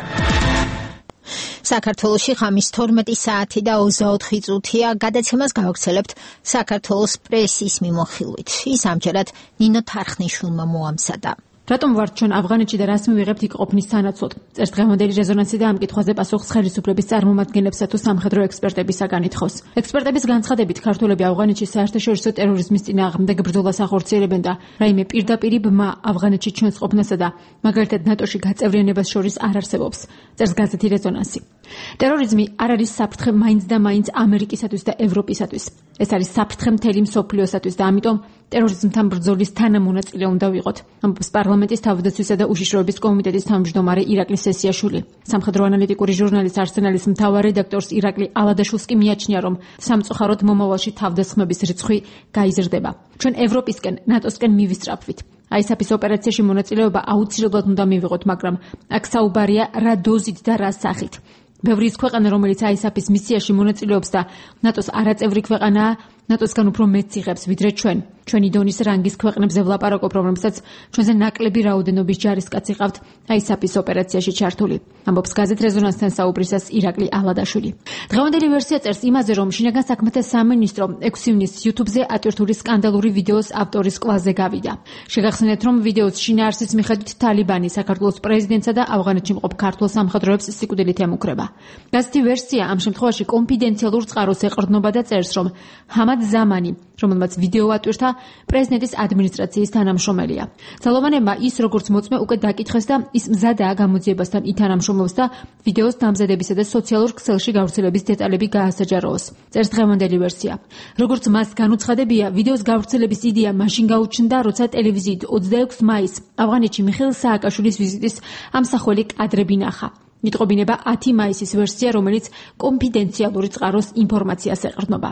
საქართველოში ღამის თორმეტი საათი და ოცდაოთხი წუთია. გადაცემას გავაგრძელებთ საქართველოს პრესის მიმოხილვით. ის ამჯერად ნინო თარხნიშვილმა მოამზადა. რატომ ვართ ჩვენ ავღანეთში და რას მივიღებთ იქ ყოფნის სანაცვლოდ? წერს დღევანდელი რეზონანსი და ამ კითხვაზე პასუხს ხელისუფლების წარმომადგენლებსა თუ სამხედრო ექსპერტებისაგან ითხოვს. ექსპერტების განცხადებით, ქართველები ავღანეთში საერთაშორისო ტერორიზმის წინააღმდეგ ბრძოლას ახორციელებენ და რაიმე პირდაპირი ბმა ავღანეთში ჩვენს ყოფნასა და მაგალითად ნატოში გაწევრიანებას შორის არ არსებობს. წერს გაზეთი რეზონანსი. ტერორიზმი არ არის საფრთხე მაინც და მაინც ამერიკისათვის და ევროპისათვის. ეს არის საფრთხე მთელი მსოფლიოსათვის და ამიტომ ტერორიზმთან ბრძოლის თანამონაწილე უნდა ვიყოთ. ამბობს პარლამენტის თავდაცვისა და უშიშროების კომიტეტის თავმჯდომარე ირაკლი სესიაშვილი. სამხედრო ანალიტიკური ჟურნალის არსენალის მთავარ რედაქტორს ირაკლი ალადაშვილს კი მიაჩნია, რომ სამწუხაროდ მომავალში თავდასხმების რიცხვი გაიზრდება. ჩვენ ევროპისკენ, ნატოსკენ მივისწრაფვით. აისაფის ოპერაციაში მონაწილეობა აუცილებლად უნდა მივიღოთ, მაგრამ აქ საუბარია რა დოზით და რა სახით. ბევრი ის ქვეყანა, რომელიც აისაფის მისიაში მონაწილეობს და ნატოს არაწევრი ქვეყანაა, ნატოსგან უფრო მეტს იღებს ვიდრე ჩვენ. ჩვენი დონის რანგის ქვეყნებზე ვლაპარაკობ, რომლებსაც ჩვენზე ნაკლები რაოდენობის ჯარისკაცი ყავთ აისაფის ოპერაციაში ჩართული. ამბობს გაზეთ რეზონანსთან საუბრისას ირაკლი ალადაშვილი. დღევანდელი ვერსია წერს იმაზე, რომ შინაგან საქმეთა სამინისტრო ექვსი ივნისს YouTube-ზე ატვირთული სკანდალური ვიდეოს ავტორის კლასზე გავიდა. შეგახსენეთ, რომ ვიდეოს შინაარსის მიხედვით თალიბანი საქართველოს პრეზიდენტსა და ავღანეთში მყოფ ქართულ სამხედროებს სიკვდილით ემუქრება. გაზეთი ვერსია ამ შემთხვევაში კონფიდენციალურ წყაროს ეყრდნობა და წერს, რომ ჰამად ზამანი, რომელმაც ვიდეო ატვირთა, პრეზიდენტის ადმინისტრაციის თანამშრომელია. ძალოვანებმა ის როგორც მოწმე უკვე დაკითხეს და ის მზადაა გამოძიებასთან ითანამშრომლობს და ვიდეოს დამზადებისა და სოციალურ ქსელში გავრცელების დეტალები გაასაჯაროოს. წერს დღევანდელი ვერსია. როგორც მას განუცხადებია, ვიდეოს გავრცელების იდეა მაშინ გაუჩნდა, როცა ტელევიზიით ოცდაექვსი მაისს ავღანეთში მიხეილ სააკაშვილის ვიზიტის ამსახველი კადრები ნახა. იტყობინება ათი მაისის ვერსია, რომელიც კონფიდენციალური წყაროს ინფორმაციას ეყრდნობა.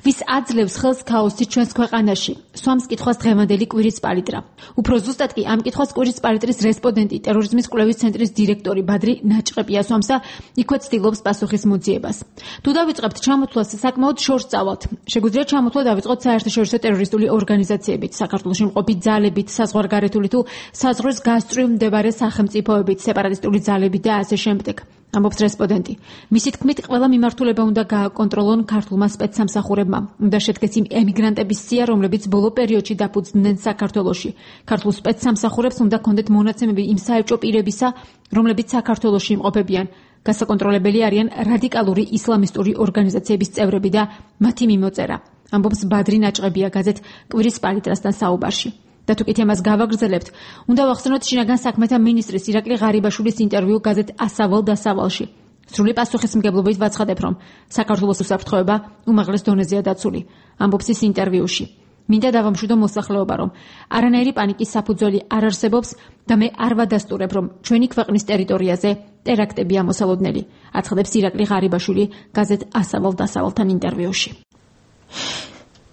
ვის აძლევს ხელს ქაოსი ჩვენს ქვეყანაში? სვამს კითხვას დღევანდელი კვირის პალიტრა. უფრო ზუსტად კი ამ კითხვას კვირის პალიტრის რესპონდენტი, ტერორიზმის კვლევის ცენტრის დირექტორი ბადრი ნაჭყეპია სვამს და იქვე ცდილობს პასუხის მოძიებას. თუ დავიწყებთ ჩამოთვლას, საკმაოდ შორს წავალთ. შეგვიძლია ჩამოთვლა დავიწყოთ საერთაშორისო ტერორისტული ორგანიზაციებით, საქართველოში მყოფი ძალებით, საზღვარგარეთული თუ საზღვრის გასწვრივ მდებარე სახელმწიფოებით, სეპარატისტული ძალებით და ასე შემდეგ. ამბობს რესპონდენტი. მისი თქმით, ყველა მიმართულება უნდა გააკონტროლონ ქართულმა სპეცსამსახურებმა. უნდა შედგეს იმ ემიგრანტების სია, რომლებიც ბოლო პერიოდში დაფუძნდნენ საქართველოში. ქართულ სპეცსამსახურებს უნდა კონდეთ მონაცემები იმ საელჩო პირებისა, რომლებიც საქართველოში იმყოფებიან. გასაკონტროლებელი არიან რადიკალური ისლამისტური ორგანიზაციების წევრები და მათი მიმოწერა. ამბობს ბადრი ნაჭყებია გაზეთ კვირის პალიტრასთან საუბარში. და თუ კი თემას გავაგრძელებთ, უნდა ვახსენოთ შინაგან საქმეთა მინისტრის ირაკლი ღარიბაშვილის ინტერვიუ გაზეთ ასავალ დასავალში. სრული პასუხისმგებლობით ვაცხადებ, რომ საქართველოს უსაფრთხოება უმაღლეს დონეზეა დაცული. ამბობს ის ინტერვიუში. მინდა დავამშვიდო მოსახლეობა, რომ არანაირი პანიკის საფუძველი არ არსებობს და მე არ ვადასტურებ, რომ ჩვენი ქვეყნის ტერიტორიაზე ტერაქტები ამოსალოდნელი. აცხადებს ირაკლი ღარიბაშვილი გაზეთ ასავალ დასავალთან ინტერვიუში.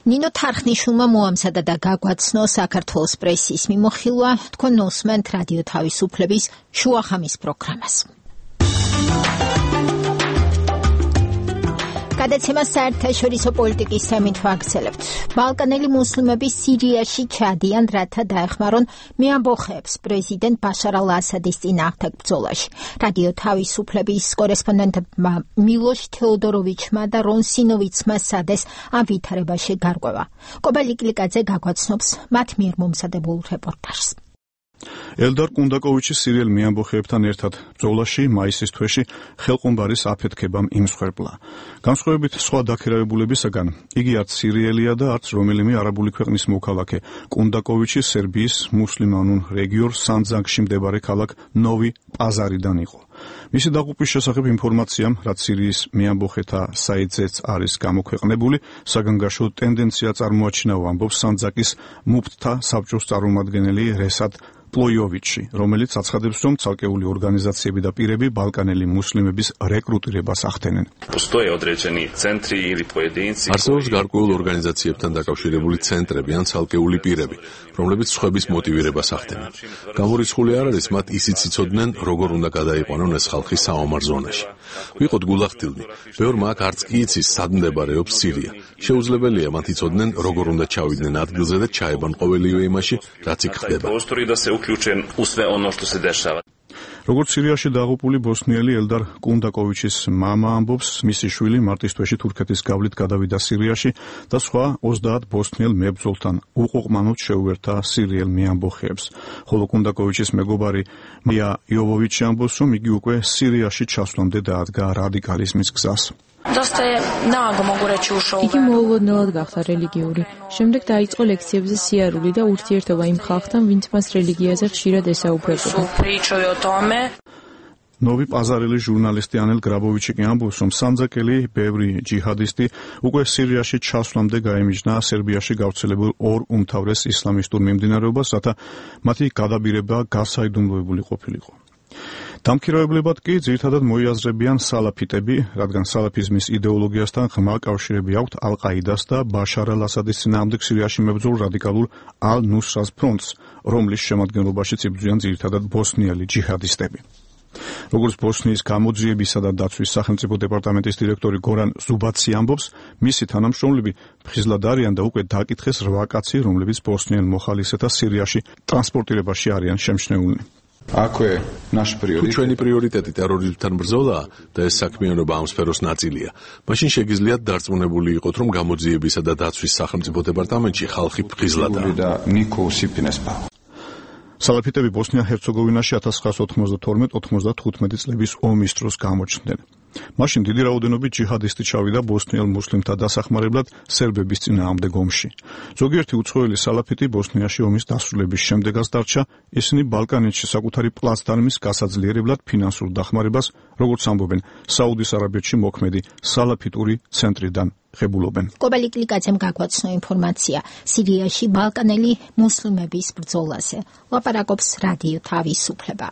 ნინო თარხნიშვილმა მოამზადა და გაგვაცნო საქართველოს პრესის მიმოხილვა. თქვენ უსმენთ რადიო თავისუფლების შუახამის პროგრამას. გადაცემას საერთაშორისო პოლიტიკის თემით ვაგრძელებთ. ბალკანელი მუსლიმები სირიაში ჩადიან, რათა დაეხმარონ მეამბოხეებს პრეზიდენტ ბაშარ ალ-ასადის წინააღმდეგ ბრძოლაში. რადიო თავისუფლების კორესპონდენტებმა მილოშ თეოდოროვიჩმა და რონ სინოვიცმა სადეს ამ ვითარებაში გარკვევა. კობელი კლიკაძე გაგვაცნობს მათ მიერ მომზადებულ რეპორტაჟს. ელდარ კუნდაკოვიჩის სირიელ მეამბოხეებთან ერთად ბრძოლაში მაისის თვეში ხელყუმბარის აფეთქებამ იმსხვერპლა. განსხვავებით სხვა დაქირავებულებისაგან, იგი არც სირიელია და არც რომელიმე არაბული ქვეყნის მოქალაქე. კუნდაკოვიჩი სერბიის მუსლიმანურ რეგიონ სანძაკში მდებარე ქალაქ ნოვი პაზარიდან იყო. მისი დაღუპვის შესახებ ინფორმაციამ, რაც სირიის მეამბოხეთა საიტზეც არის გამოქვეყნებული, საგანგაშო ტენდენცია წარმოაჩინა, ამბობს სანძაკის მუფტთა საბჭოს წარმომადგენელი რესად პლოიოვიჩი, რომელიც აცხადებს, რომ ცალკეული ორგანიზაციები და პირები ბალკანელი მუსლიმების რეკრუტირებას ახდენენ. არსებობს გარკვეულ ორგანიზაციებთან დაკავშირებული ცენტრები ან ცალკეული პირები, რომლებიც სხვების მოტივირებას ახდენენ. გამორიცხული არ არის მათ ისიც იცოდნენ, როგორ უნდა გადაიყვანონ ეს ხალხი საომარ ზონაში. ვიყოთ გულახდილნი, ბევრმა აქ არც კი იცის, სად მდებარეობს სირია. შეუძლებელია მათ იცოდნენ, როგორ უნდა ჩავიდნენ ადგილზე და ჩაებან ყოველივე იმაში, რაც იქ ხდება. როგორც სირიაში დაღუპული ბოსნიელი ელდარ კუნდაკოვიჩის მამა ამბობს, მისი შვილი მარტის თვეში თურქეთის გავლით გადავიდა სირიაში და სხვა ოცდაათ ბოსნიელ მებრძოლთან უყოყმანოდ შეუერთა სირიელ მეამბოხეებს. ხოლო კუნდაკოვიჩის მეგობარი მია იოვოვიჩი ამბობს, რომ იგი უკვე სირიაში ჩასვლამდე დაადგა რადიკალიზმის გზას. იგი მოულოდნელად გახდა რელიგიური. შემდეგ დაიწყო ლექციებზე სიარული და ურთიერთობა იმ ხალხთან, ვინც მას რელიგიაზე ხშირად ესაუბრებოდა. ნოვი პაზარელის ჟურნალისტი ანელ გრაბოვიჩი კი ამბობს, რომ სამძაკელი ბევრი ჯიჰადისტი უკვე სირიაში ჩასვლამდე გაემიჯნა სერბიაში გავრცელებულ ორ უმთავრეს ისლამისტურ მიმდინარეობას, რათა მათი გადაბირება გასაიდუმლოებული ყოფილიყო. დამქირავებლებად კი ძირითადად მოიაზრებიან სალაფიტები, რადგან სალაფიზმის იდეოლოგიასთან ღრმა კავშირები აქვთ ალ-ყაიდას და ბაშარ ალ-ასადის წინააღმდეგ სირიაში მებრძოლ რადიკალურ ალ-ნუსრას ფრონტს, რომლის შემადგენლობაშიც იბრძვიან ძირითადად ბოსნიელი ჯიჰადისტები. როგორც ბოსნიის გამოძიებისა და დაცვის სახელმწიფო დეპარტამენტის დირექტორი გორან ზუბაცი ამბობს, მისი თანამშრომლები ფხიზლად არიან და უკვე დაკითხეს რვა კაცი, რომლებიც ბოსნიელ მოხალისეთა სირიაში ტრანსპორტირებაში არიან შემჩნეულნი. აქვე ნაში პრიორიტეტი. ჩვენი პრიორიტეტი ტერორიზმთან ბრძოლაა და ეს საქმიანობა ამ სფეროს ნაწილია. მაშინ შეგიძლიათ დარწმუნებული იყოთ, რომ გამოძიებისა და დაცვის სახელმწიფო დეპარტამენტში ხალხი ფხიზლადაა. და ნიკო სიფინესპა. სალაფიტები ბოსნია-ჰერცეგოვინაში ათას ცხრაას ოთხმოცდათორმეტ ოთხმოცდათხუთმეტი წლების ომის დროს გამოჩნდნენ. მაშინ დიდი რაოდენობით ჯიჰადისტი ჩავიდა ბოსნიელ მუსლიმთა დასახმარებლად სერბების წინააღმდეგ ომში. ზოგიერთი უცხოელი სალაფიტი ბოსნიაში ომის დასრულების შემდეგაც დარჩა, ისინი ბალკანეთში საკუთარი პლაცდარმის გასაძლიერებლად ფინანსურ დახმარებას, როგორც ამბობენ, საუდის არაბეთში მოქმედი სალაფიტური ცენტრიდან ღებულობენ. კობალი კლიკაძემ გაგვაცნო ინფორმაცია სირიაში ბალკანელი მუსლიმების ბრძოლაზე. ლაპარაკობს რადიო თავისუფლება.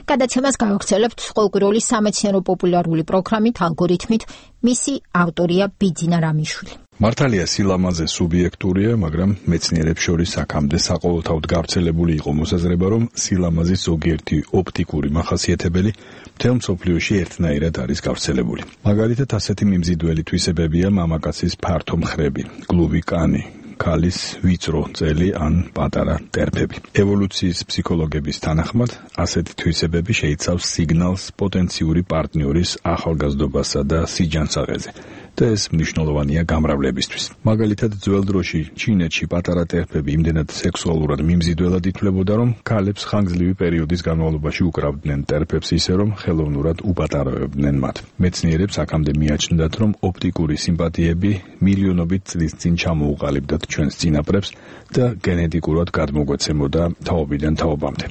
გადაცემას გავაგრძელებთ ყოველკვირეული სამეცნიერო პოპულარული პროგრამით ალგორითმით, მისი ავტორია ბიძინა რამიშვილი. მართალია სილამაზე სუბიექტურია, მაგრამ მეცნიერებს შორის აქამდე საყოველთაოდ გავრცელებული იყო მოსაზრება, რომ სილამაზის ზოგიერთი ოპტიკური მახასიათებელი მთელ მსოფლიოში ერთნაირად არის გავრცელებული. მაგალითად, ასეთი მიმზიდველი თვისებებია მამაკაცის ფართო მხრები, გლუვი კანი, ქალის ვიწრო წელი ან პატარა ტერფები. ევოლუციის ფსიქოლოგების თანახმად, ასეთი თვისებები შეიცავს სიგნალს პოტენციური პარტნიორის ახალგაზრდობასა და სიჯანსაღეზე. და ეს მნიშვნელოვანია გამრავლებისთვის. მაგალითად, ძველ დროში ჩინეთში პატარა ტერფები იმდენად სექსუალურად მიმზიდველად ითვლებოდა, რომ ქალებს ხანგრძლივი პერიოდის განმავლობაში უკრავდნენ ტერფებს ისე, რომ ხელოვნურად უპატარავებდნენ მათ. მეცნიერებს აქამდე მიაჩნდათ, რომ ოპტიკური სიმპათიები მილიონობით წლის წინ ჩამოუყალიბდათ ჩვენს წინაპრებს და გენეტიკურად გადმოგვეცემოდა თაობიდან თაობამდე.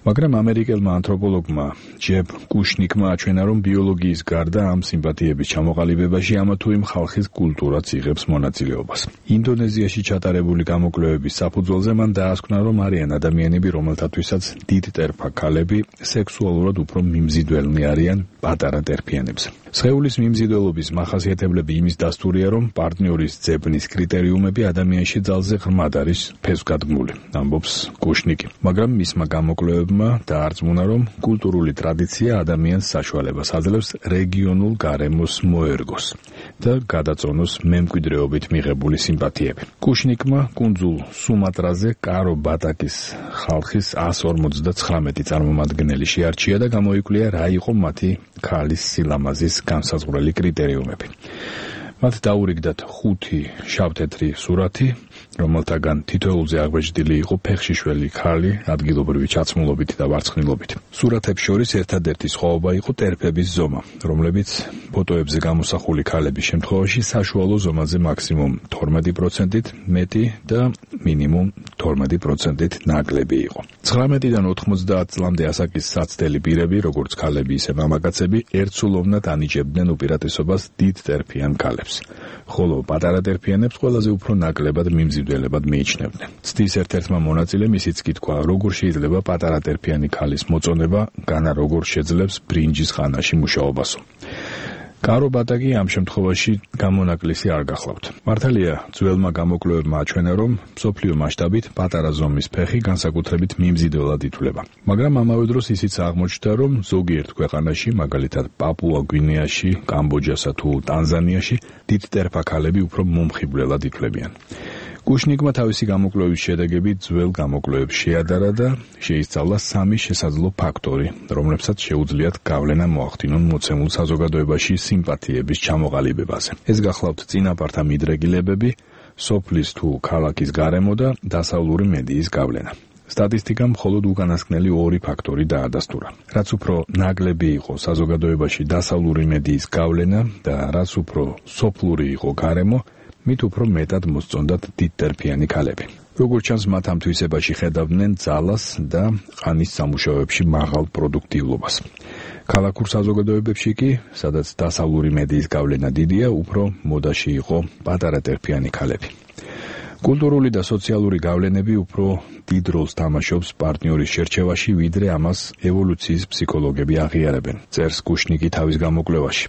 მაგრამ ამერიკელმა ანთროპოლოგმა ჯებ კუშნიკმა აჩვენა, რომ ბიოლოგიის გარდა ამ სიმპათიების ჩამოყალიბებაში ამა თუ იმ ხალხის კულტურაც იღებს მონაწილეობას. ინდონეზიაში ჩატარებული გამოკვლევების საფუძველზე მან დაასკვნა, რომ არიან ადამიანები, რომელთათვისაც დიდტერფა ქალები სექსუალურად უფრო მიმზიდველნი არიან პატარა ტერფიანებზე. სხეულის მიმზიდველობის მახასიათებლები იმის დასტურია, რომ პარტნიორის ძებნის კრიტერიუმები ადამიანში ძალზე ღრმად არის ფესვგადგმული, ამბობს კუშნიკი. მაგრამ მისმა გამოკვლევებმა დაარწმუნა, რომ კულტურული ტრადიცია ადამიანს საშუალებას აძლევს რეგიონულ გარემოს მოერგოს და გადაწონოს მემკვიდრეობით მიღებული სიმპათიები. კუშნიკმა კუნძულ სუმატრაზე კარო ბატაკის ხალხის εκατს ორმოცდაცხრამეტი წარმომადგენელი შეარჩია და გამოიკვლია, რა იყო მათი ქალის სილამაზის განსაზღვრელი კრიტერიუმები. მათ დაურიგდათ ხუთი შავთეთრი სურათი, რომელთაგან თითოეულზე აღბეჭდილი იყო ფეხშიშველი ქალი, ადგილობრივი ჩაცმულობით და ვარცხნილობით. სურათებს შორის ერთადერთი სხვაობა იყო ტერფების ზომა, რომლებიც ფოტოებზე გამოსახული ქალების შემთხვევაში საშუალო ზომაზე მაქსიმუმ თორმეტი პროცენტით მეტი და მინიმუმ თორმეტი პროცენტით ნაკლები იყო. ცხრამეტიდან ოთხმოცდაათ წლამდე ასაკის საცდელი პირები, როგორც ქალები, ისე მამაკაცები, ერთსულოვნად ანიჭებდნენ უპირატესობას დიდ ტერფიან ქალებს, ხოლო პატარა ტერფიანებს ყველაზე უფრო ნაკლებად მიმზიდველებად მიიჩნევდნენ. ცდის ერთ-ერთმა მონაწილემ ისიც კითხვა, როგორ შეიძლება პატარა ტერფიანი ქალის მოწონება, განა როგორ შეძლებს ბრინჯის ხანაში მუშაობასო. კარო ბატაკი ამ შემთხვევაში გამონაკლისი არ გახლავთ. მართალია, ძველმა გამოკვლევებმა აჩვენა, რომ მსოფლიო მასშტაბით პატარა ზომის ფეხი განსაკუთრებით მიმზიდველად ითვლება. მაგრამ ამავე დროს ისიც აღმოჩნდა, რომ ზოგიერთ ქვეყანაში, მაგალითად პაპუა გვინეაში, კამბოჯასა თუ ტანზანიაში, დიდ ტერფა ქალები უფრო მომხიბვლელად ითვლებიან. კუშნიკმა თავისი გამოკვლევის შედეგები ძველ გამოკვლევებს შეადარა და შეისწავლა სამი შესაძლო ფაქტორი, რომლებსაც შეუძლიათ გავლენა მოახდინონ მოცემულ საზოგადოებაში სიმპათიების ჩამოყალიბებაზე. ეს გახლავთ წინაპართა მიდრეკილებები, სოფლის თუ ქალაქის გარემო და დასავლური მედიის გავლენა. სტატისტიკამ მხოლოდ უკანასკნელი ორი ფაქტორი დაადასტურა. რაც უფრო ნაკლები იყო საზოგადოებაში დასავლური მედიის გავლენა და რაც უფრო სოფლური იყო გარემო, მით უფრო მეტად მოსწონდათ დიდტერფიანი ქალები. როგორც ჩანს, მათ ამ თვისებაში ხედავდნენ ძალას და ყანის სამუშაოებში მაღალ პროდუქტიულობას. ქალაქურ საზოგადოებებში კი, სადაც დასავლური მედიის გავლენა დიდია, უფრო მოდაში იყო პატარა ტერფიანი ქალები. კულტურული და სოციალური გავლენები უფრო დიდ როლს თამაშობს პარტნიორის შერჩევაში, ვიდრე ამას ევოლუციის ფსიქოლოგები აღიარებენ, წერს კუშნიკი თავის გამოკვლევაში.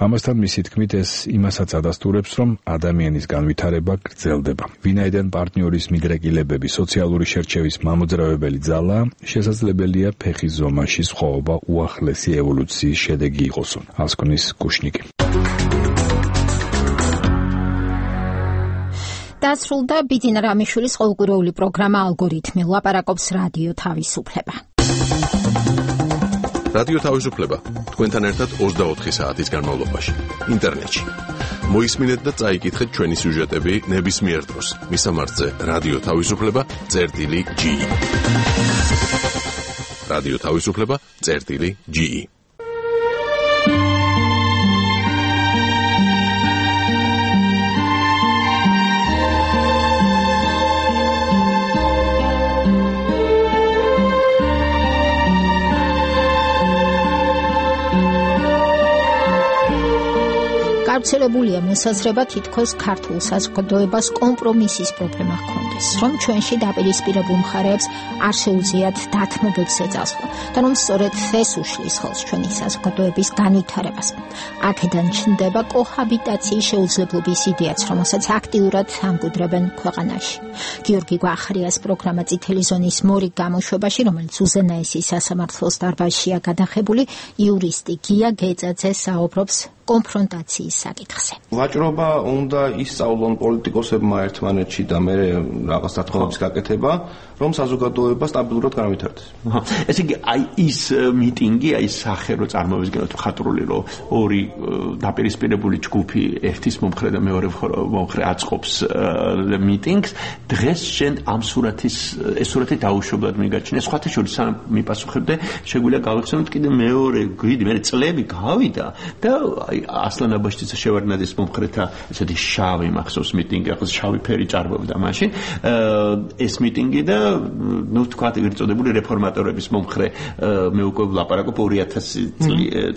ამასთან მისი თქმით, ეს იმასაც ადასტურებს, რომ ადამიანის განვითარება გრძელდება. ვინაიდან პარტნიორის მიდრეკილებები სოციალური შერჩევის მამოძრავებელი ძალაა, შესაძლებელია ფეხის ზომაში სხვაობა უახლესი ევოლუციის შედეგი იყოსო, ასკვნის კუშნიკი. დასრულდა ბიძინა რამიშვილის ყოველკვირეული პროგრამა ალგორითმი, ლაპარაკობს რადიო თავისუფლება. რადიო თავისუფლება თქვენთან ერთად ოცდაოთხი საათის განმავლობაში ინტერნეტში. მოისმინეთ და წაიკითხეთ ჩვენი სიუჟეტები ნებისმიერ დროს. მისამართზე რადიო თავისუფლება წერტილი ჯი. რადიო თავისუფლება წერტილი ჯი. გავრცელებულია მოსაზრება, თითქოს ქართულ საზოგადოებას კომპრომისის პრობლემა ჰქონდეს, რომ ჩვენში დაპირისპირებულ მხარეებს არ შეუძლიათ დათმობებს ეძახვა და რომ სწორედ ეს უშლის ხელს ჩვენი საზოგადოების განვითარებას. აქედან ჩნდება კოჰაბიტაციის შეუძლებლობის იდეაც, რომელსაც აქტიურად ამკვიდრებენ ქვეყანაში. გიორგი გვახრიას პროგრამა წითელი ზონის მორიგ გამოშვებაში, რომელიც უზენაესი სასამართლოს დარბაზშია გადახებული, იურისტი გია გეძაძე საუბრობს კონფრონტაციის საკითხზე. ვაჭრობა უნდა ისწავლონ პოლიტიკოსებმა ერთმანეთში და მე რაღაც დათხოვების გაკეთება, რომ საზოგადოება სტაბილურად განვითარდეს. ესე იგი, აი ის მიტინგი, აი სახე რო წარმოგვიდგენთ ხატრული, რომ ორი დაპირისპირებული ჯგუფი ერთის მომხრე და მეორე მომხრე აწყობს მიტინგს, დღეს შენ ამ სურათის ეს სურათი დაუშვებლად მიგაჩნია. სხვათა შორის სამ მიპასუხებდე, შეგვიძლია გავიხსენოთ კიდე მეორე გვიდი, მე წლები გავიდა და ასლან აბაშიძე შევარდნაძის მომხრეთა ესეთი შავი მახსოვს მიტინგი, ახლა შავი ფერი ჭარბობდა მაშინ. ეს მიტინგი და ნუ თქვა ერთწოდებული რეფორმატორების მომხრე მე უკვე ვლაპარაკობ ორი ათასი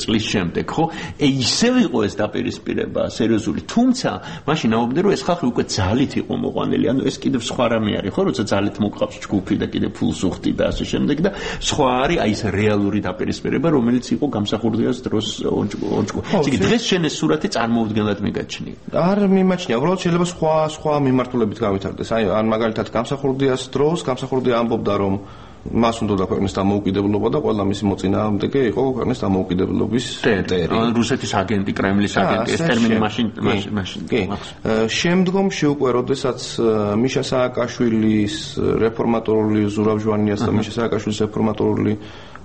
წლის შემდეგ, ხო? ისევ იყო ეს დაპირისპირება სერიოზული, თუმცა მაშინ აუბნე რომ ეს ხალხი უკვე ძალით იყო მოყვანილი, ანუ ეს კიდევ სხვა რამე არის, ხო, როცა ძალით მოყავს ჯგუფი და კიდევ ფულს უხდი და ასე შემდეგ და სხვა არის აი ეს რეალური დაპირისპირება, რომელიც იყო გამსახურდიას დროს ონჭკო. ისე დღეს შენ ეს სურათი წარმოუდგენლად მიგაჩნია. არ მიმაჩნია, უბრალოდ შეიძლება სხვა სხვა მიმართულებით გავითარდეს. აი, ან მაგალითად გამსახურდიას დროს გამსახურდია ამბობდა, რომ მას უნდა ქვეყნის დამოუკიდებლობა და ყველა მისი მოწინააღმდეგე იყო ქვეყნის დამოუკიდებლობის ტერი. რუსეთის აგენტი, კრემლის აგენტი, ეს ტერმინი მაშინ მაშინ. შემდგომ უკვე როდესაც მიშა სააკაშვილის რეფორმატორული ზურავ ჟვანიას და მიშა სააკაშვილის რეფორმატორული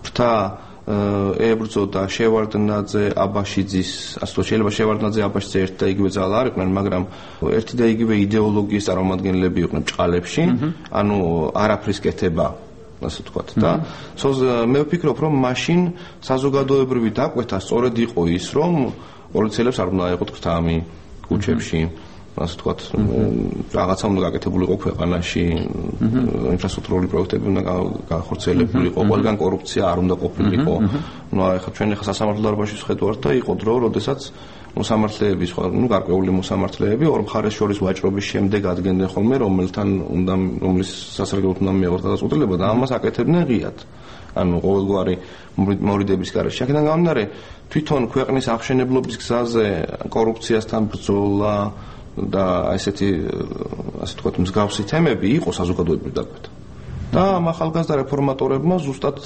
ფრთა ებრძოდა შევარდნაძე, აბაშიძის, ასე რომ შეიძლება შევარდნაძე, აბაშიძე ერთ და იგივე ძალა არ იყვნენ, მაგრამ ერთი და იგივე იდეოლოგიის წარმომადგენლები იყვნენ ჭყალებში, ანუ არაფრის კეთება, ასე ვთქვათ და მე ვფიქრობ, რომ მაშინ საზოგადოებრივი დაკვეთა სწორედ იყო ის, რომ პოლიციელებს არ უნდა აეყოთ გრთამი ქუჩებში, ასე ვთქვათ, რაღაცა უნდა გაკეთებული იყო ქვეყანაში, ინფრასტრუქტურული პროექტები უნდა განხორციელებული იყო, ყველგან კორუფცია არ უნდა ყოფილიყო. ნუ ახლა ჩვენ ახლა სასამართლო დარბაზში ვხედავთ და იყო დრო, როდესაც მოსამართლეები, სხვა, ნუ გარკვეული მოსამართლეები ორ მხარეს შორის ვაჭრობის შემდეგ ადგენდნენ ხოლმე, რომელთან უნდა, რომლის სასარგებლოდ უნდა მიიღოს გადაწყვეტილება და ამას აკეთებდნენ ღიად. ანუ ყოველგვარი მორიდების გარეშე. აქედან გამომდინარე, თვითონ ქვეყნის აღშენებლობის გზაზე კორუფციასთან ბრძოლა და ესეთი, ასე ვთქვათ, მსგავსი თემები იყო საზოგადოებრივი დაკვეთა. და ამ ახალგაზრდა რეფორმატორებმა ზუსტად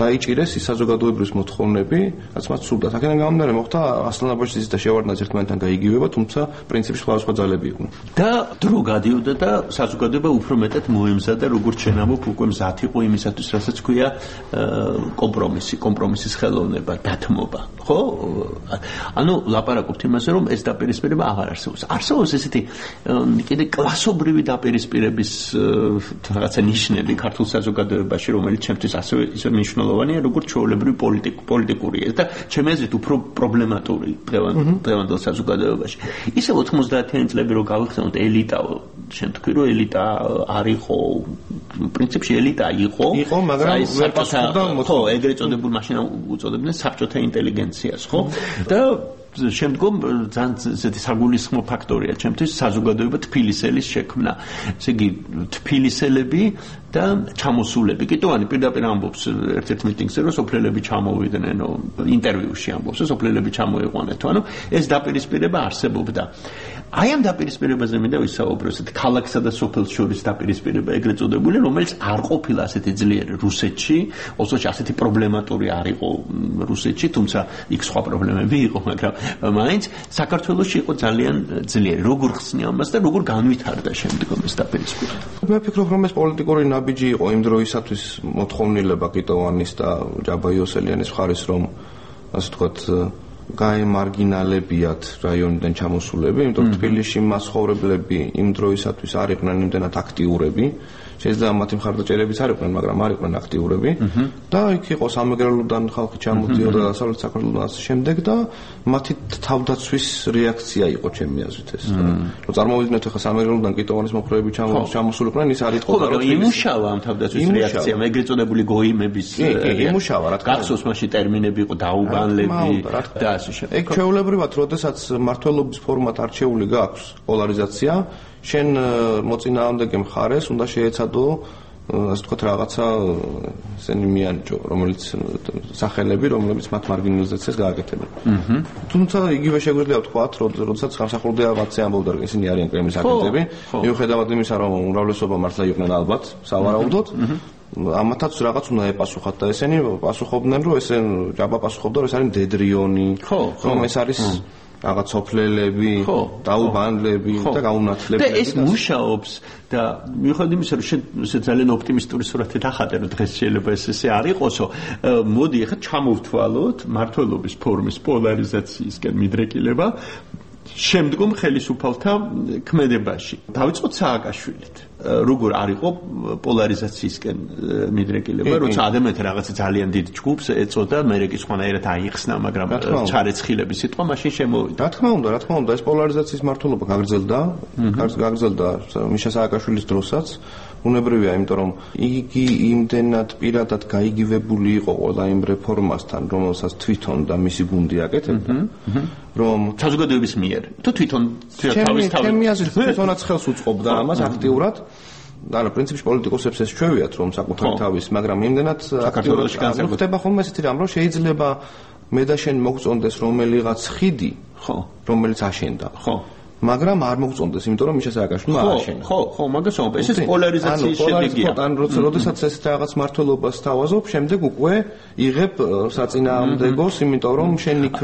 დაიჭირეს ის საზოგადოებრივი მოთხოვნები, რაც მათ სურდათ. აქედან გამომდინარე, მოხდა ასლან აბაშიძის და შევარდნაძის ერთმანეთთან გაიგივება, თუმცა პრინციპში სხვადასხვა ძალები იყვნენ. და დრო გადიოდა და საზოგადოება უფრო მეტად მოემზადა, როგორც ჩვენ ამბობ, უკვე მზად იყო იმისათვის, რასაც ქვია კომპრომისი, კომპრომისის ხელოვნება, დათმობა, ხო? ანუ ლაპარაკობთ იმაზე, რომ ეს დაპირისპირება აღარ არსებობს. არსებობს ესეთი კიდე კლასობრივი დაპირისპირების რაღაცა ნიშნები ქართულ საზოგადოებაში, რომელიც ჩემთვის ასევე ისე მნიშვნელოვანია, როგორც ჩვეულებრივი პოლიტიკურია და ჩემი აზრით უფრო პრობლემატური დღევანდელ საზოგადოებაში. ისე ოთხმოცდაათიანი წლები რო გავიხსენოთ, ელიტა, შენ თქვი რომ ელიტა არ იყო, პრინციპში ელიტა იყო, იყო, მაგრამ ვერ პასუხობდა ხო, ეგრეთ წოდებულ მაშინ უწოდებდნენ საბჭოთა ინტელიგენციას, ხო? და შემდგომ ძალიან ესეთი საგულისხმო ფაქტორია ჩემთვის საზოგადოება თბილისელის შექმნა. ესე იგი თბილისელები და ჩამოსულები. კიტოვანი პირდაპირ ამბობს ერთ-ერთ მიტინგზე, რომ სოფლელები ჩამოვიდნენ, ინტერვიუში ამბობს, რომ სოფლელები ჩამოიყვანეთ. ანუ ეს დაპირისპირება არსებობდა. აი ამ დაპირისპირებაზე მინდა ვისაუბრო, ესეთი ქალაქსა და სოფელს შორის დაპირისპირება ეგრეთ წოდებული, რომელიც არ ყოფილა ასეთი ძლიერი რუსეთში, ოსოში ასეთი პრობლემატური არ იყო რუსეთში, თუმცა იქ სხვა პრობლემები იყო, მაგრამ მაინც საქართველოში იყო ძალიან ძლიერი. როგორ ხსნი ამას და როგორ განვითარდა შემდგომ ეს დაპირისპირება? მე ვფიქრობ, რომ ეს პოლიტიკური ნაბიჯი იყო იმ დროისათვის მოთხოვნილება კიტოვანის და ჯაბა იოსელიანის მხარის, რომ ასე ვთქვათ, გაემარგინალებიათ რაიონიდან ჩამოსულები, იმიტომ რომ თბილისში მასხოვრებლები იმ დროისათვის არ იყვნენ იმდენად აქტიურები. შეიძლება მათი მხარდაჭერებიც არ იყვნენ, მაგრამ არ იყვნენ აქტიურები და იქ იყო სამეგრელოდან ხალხი ჩამოდიოდა დასავლეთ საქართველოსთან ასე შემდეგ და მათი თავდაცვის რეაქცია იყო ჩემი აზრით ეს. რომ წარმოვიდგინოთ ახლა სამეგრელოდან კიტოვანის მოხრეები ჩამოსულიყვნენ, ის არ იყო და იმუშავა ამ თავდაცვის რეაქცია, ეგრეთ წოდებული გოიმების იმუშავა, რა თქმა უნდა. გახსოვს მაშინ ტერმინები იყო დაუბანლები და ასე შემდეგ. ეგ ჩვეულებრივად, როდესაც მმართველობის ფორმატ არჩეული გაქვს პოლარიზაცია, შენ მოწინააღმდეგე მხარეს უნდა შეეცადო, ასე ვთქვათ, რაღაცა ესენი მიანიჭო, რომელიც სახელები, რომლებიც მათ მარგინალიზაციას გააკეთებენ. თუმცა იგივე შეგვიძლია ვთქვათ, როდესაც გამსახურდია მათზე ამბობდა, რომ ისინი არიან კრემლის აგენტები, მიუხედავად იმისა, რომ უმრავლესობა მართლა იყვნენ ალბათ, სავარაუდოდ, ამათაც რაღაც უნდა ეპასუხათ და ესენი პასუხობდნენ, რომ ესენ ჯაბა პასუხობდა, რომ ეს არის მდედრიონი, რომ ეს არის რაღაც სოფლელები, დაუბანლები და გაუნათლებელი. და ეს მუშაობს და მიუხედავად იმისა, რომ შენ ძალიან ოპტიმისტური სურათი დახატე, რომ დღეს შეიძლება ეს ესე არ იყოსო, მოდი ახლა ჩამოვთვალოთ მმართველობის ფორმის პოლარიზაციისკენ მიდრეკილება შემდგომ ხელისუფალთა ქმედებაში. დავიწყოთ სააკაშვილით. როგორ არ იყო პოლარიზაციისკენ მიდრეკილება, როცა ადამიანთა რაღაცა ძალიან დიდ ჯგუფს ეწოდა, მერე კი სხვანაირად აიხსნა, მაგრამ ჩარეცხილების სიტყვა მაშინ შემოვიდა. რა თქმა უნდა, რა თქმა უნდა, ეს პოლარიზაციის მართლობა გაგრძელდა, გაგრძელდა მიშა სააკაშვილის დროსაც. უნებრივია, იმიტომ რომ იგი იმდენად პირადად გაიგივებული იყო ყველა იმ რეფორმასთან, რომელსაც თვითონ და მისი გუნდი აკეთებდა, რომ საზოგადოების მიერ თუ თვითონ თავის თავის ჩემი აზრით თვითონაც ხელს უწყობდა ამას აქტიურად. ანუ პრინციპში პოლიტიკოსებს ეს ჩვევიათ, რომ საკუთარი თავის, მაგრამ იმდენად აქტიურად ხდება ხოლმე ესეთი რამ, რომ შეიძლება მე და შენ მოგწონდეს რომელიღაც ხიდი, ხო, რომელიც აშენდა. ხო. მაგრამ არ მოგწონდეს, იმიტომ რომ მიშა სააკაშვილმა ააშენა. ხო, ხო, მაგას ვამბობ. ეს პოლარიზაციის შედეგია. ან როდესაც ეს რაღაც მართლობას თავაზობ, შემდეგ უკვე იღებ საწინააღმდეგოს, იმიტომ რომ შენ იქ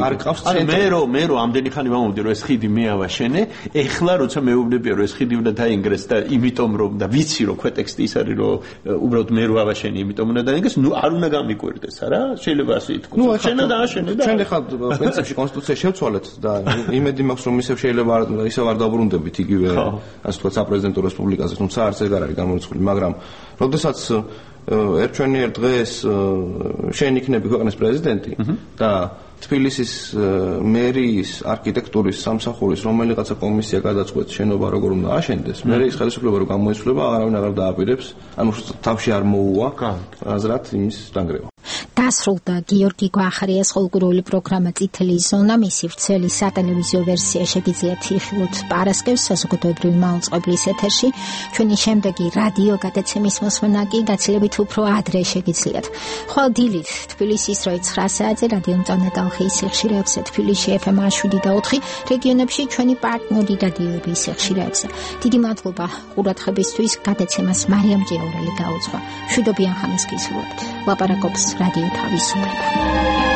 არ ყავს ცენტრი. მე რო მე რო ამდენი ხანი ვამბობდი რომ ეს ხიდი მე ავაშენე, ეხლა როცა მეუბნებია რომ ეს ხიდი უნდა დაინგრეს და იმიტომ რომ და ვიცი რომ ქვეტექსტი ის არის რომ უბრალოდ მე რო ავაშენე, იმიტომ უნდა დაინგრეს, ნუ არ უნდა გამიკვირდეს, არა? შეიძლება ასე ითქვას. შენ დააშენე და შენ ეხლა პრინციპში კონსტიტუცია შევცვალეთ და იმედი მაქვს რომ ისევ შეიძლება ისევ არ დაუბრუნდებით იგივე ასე ვთქვათ საპრეზიდენტო რესპუბლიკაზე, თუმცა არც ეგ არ არის გამორიცხული, მაგრამ როდესაც ერთჩვენიერ დღეს შენ იქნები ქვეყნის პრეზიდენტი და თბილისის მერიის არქიტექტურის სამსახურის რომელიღაცა კომისია გადაწყვეტს შენობა როგორ უნდა აშენდეს, მე ის ხელისუფლება რო გამოიცვლება, არავინ აღარ დააპირებს, ანუ თავში არ მოუვა აზრად იმის დანგრევა. დასრულდა გიორგი გვახარიას ხოლმგრული პროგრამა წითელი ზონა, მისი ვრცელი სატელევიზიო ვერსია შეგიძლიათ იხილოთ პარასკევს საზოგადოებრივი მაუწყებლის ეთერში. ჩვენი შემდეგი რადიო გადაცემის მოსმენა კი გაცილებით უფრო ადრე შეგიძლიათ. ხვალ დილით თბილისის დროით ცხრა საათზე რადიო მწვანე სიხშირეებზე, თბილისში ეფ ემ შვიდი და ოთხი, რეგიონებში ჩვენი პარტნიორი რადიოების სიხშირეებზე. დიდი მადლობა ყურადღებისთვის. გადაცემას მარიამ ჭიაურელი გაუძღვა. მშვიდობიან ხანას გისურვებთ. ლაპარაკობს რადიო თავისუფლება.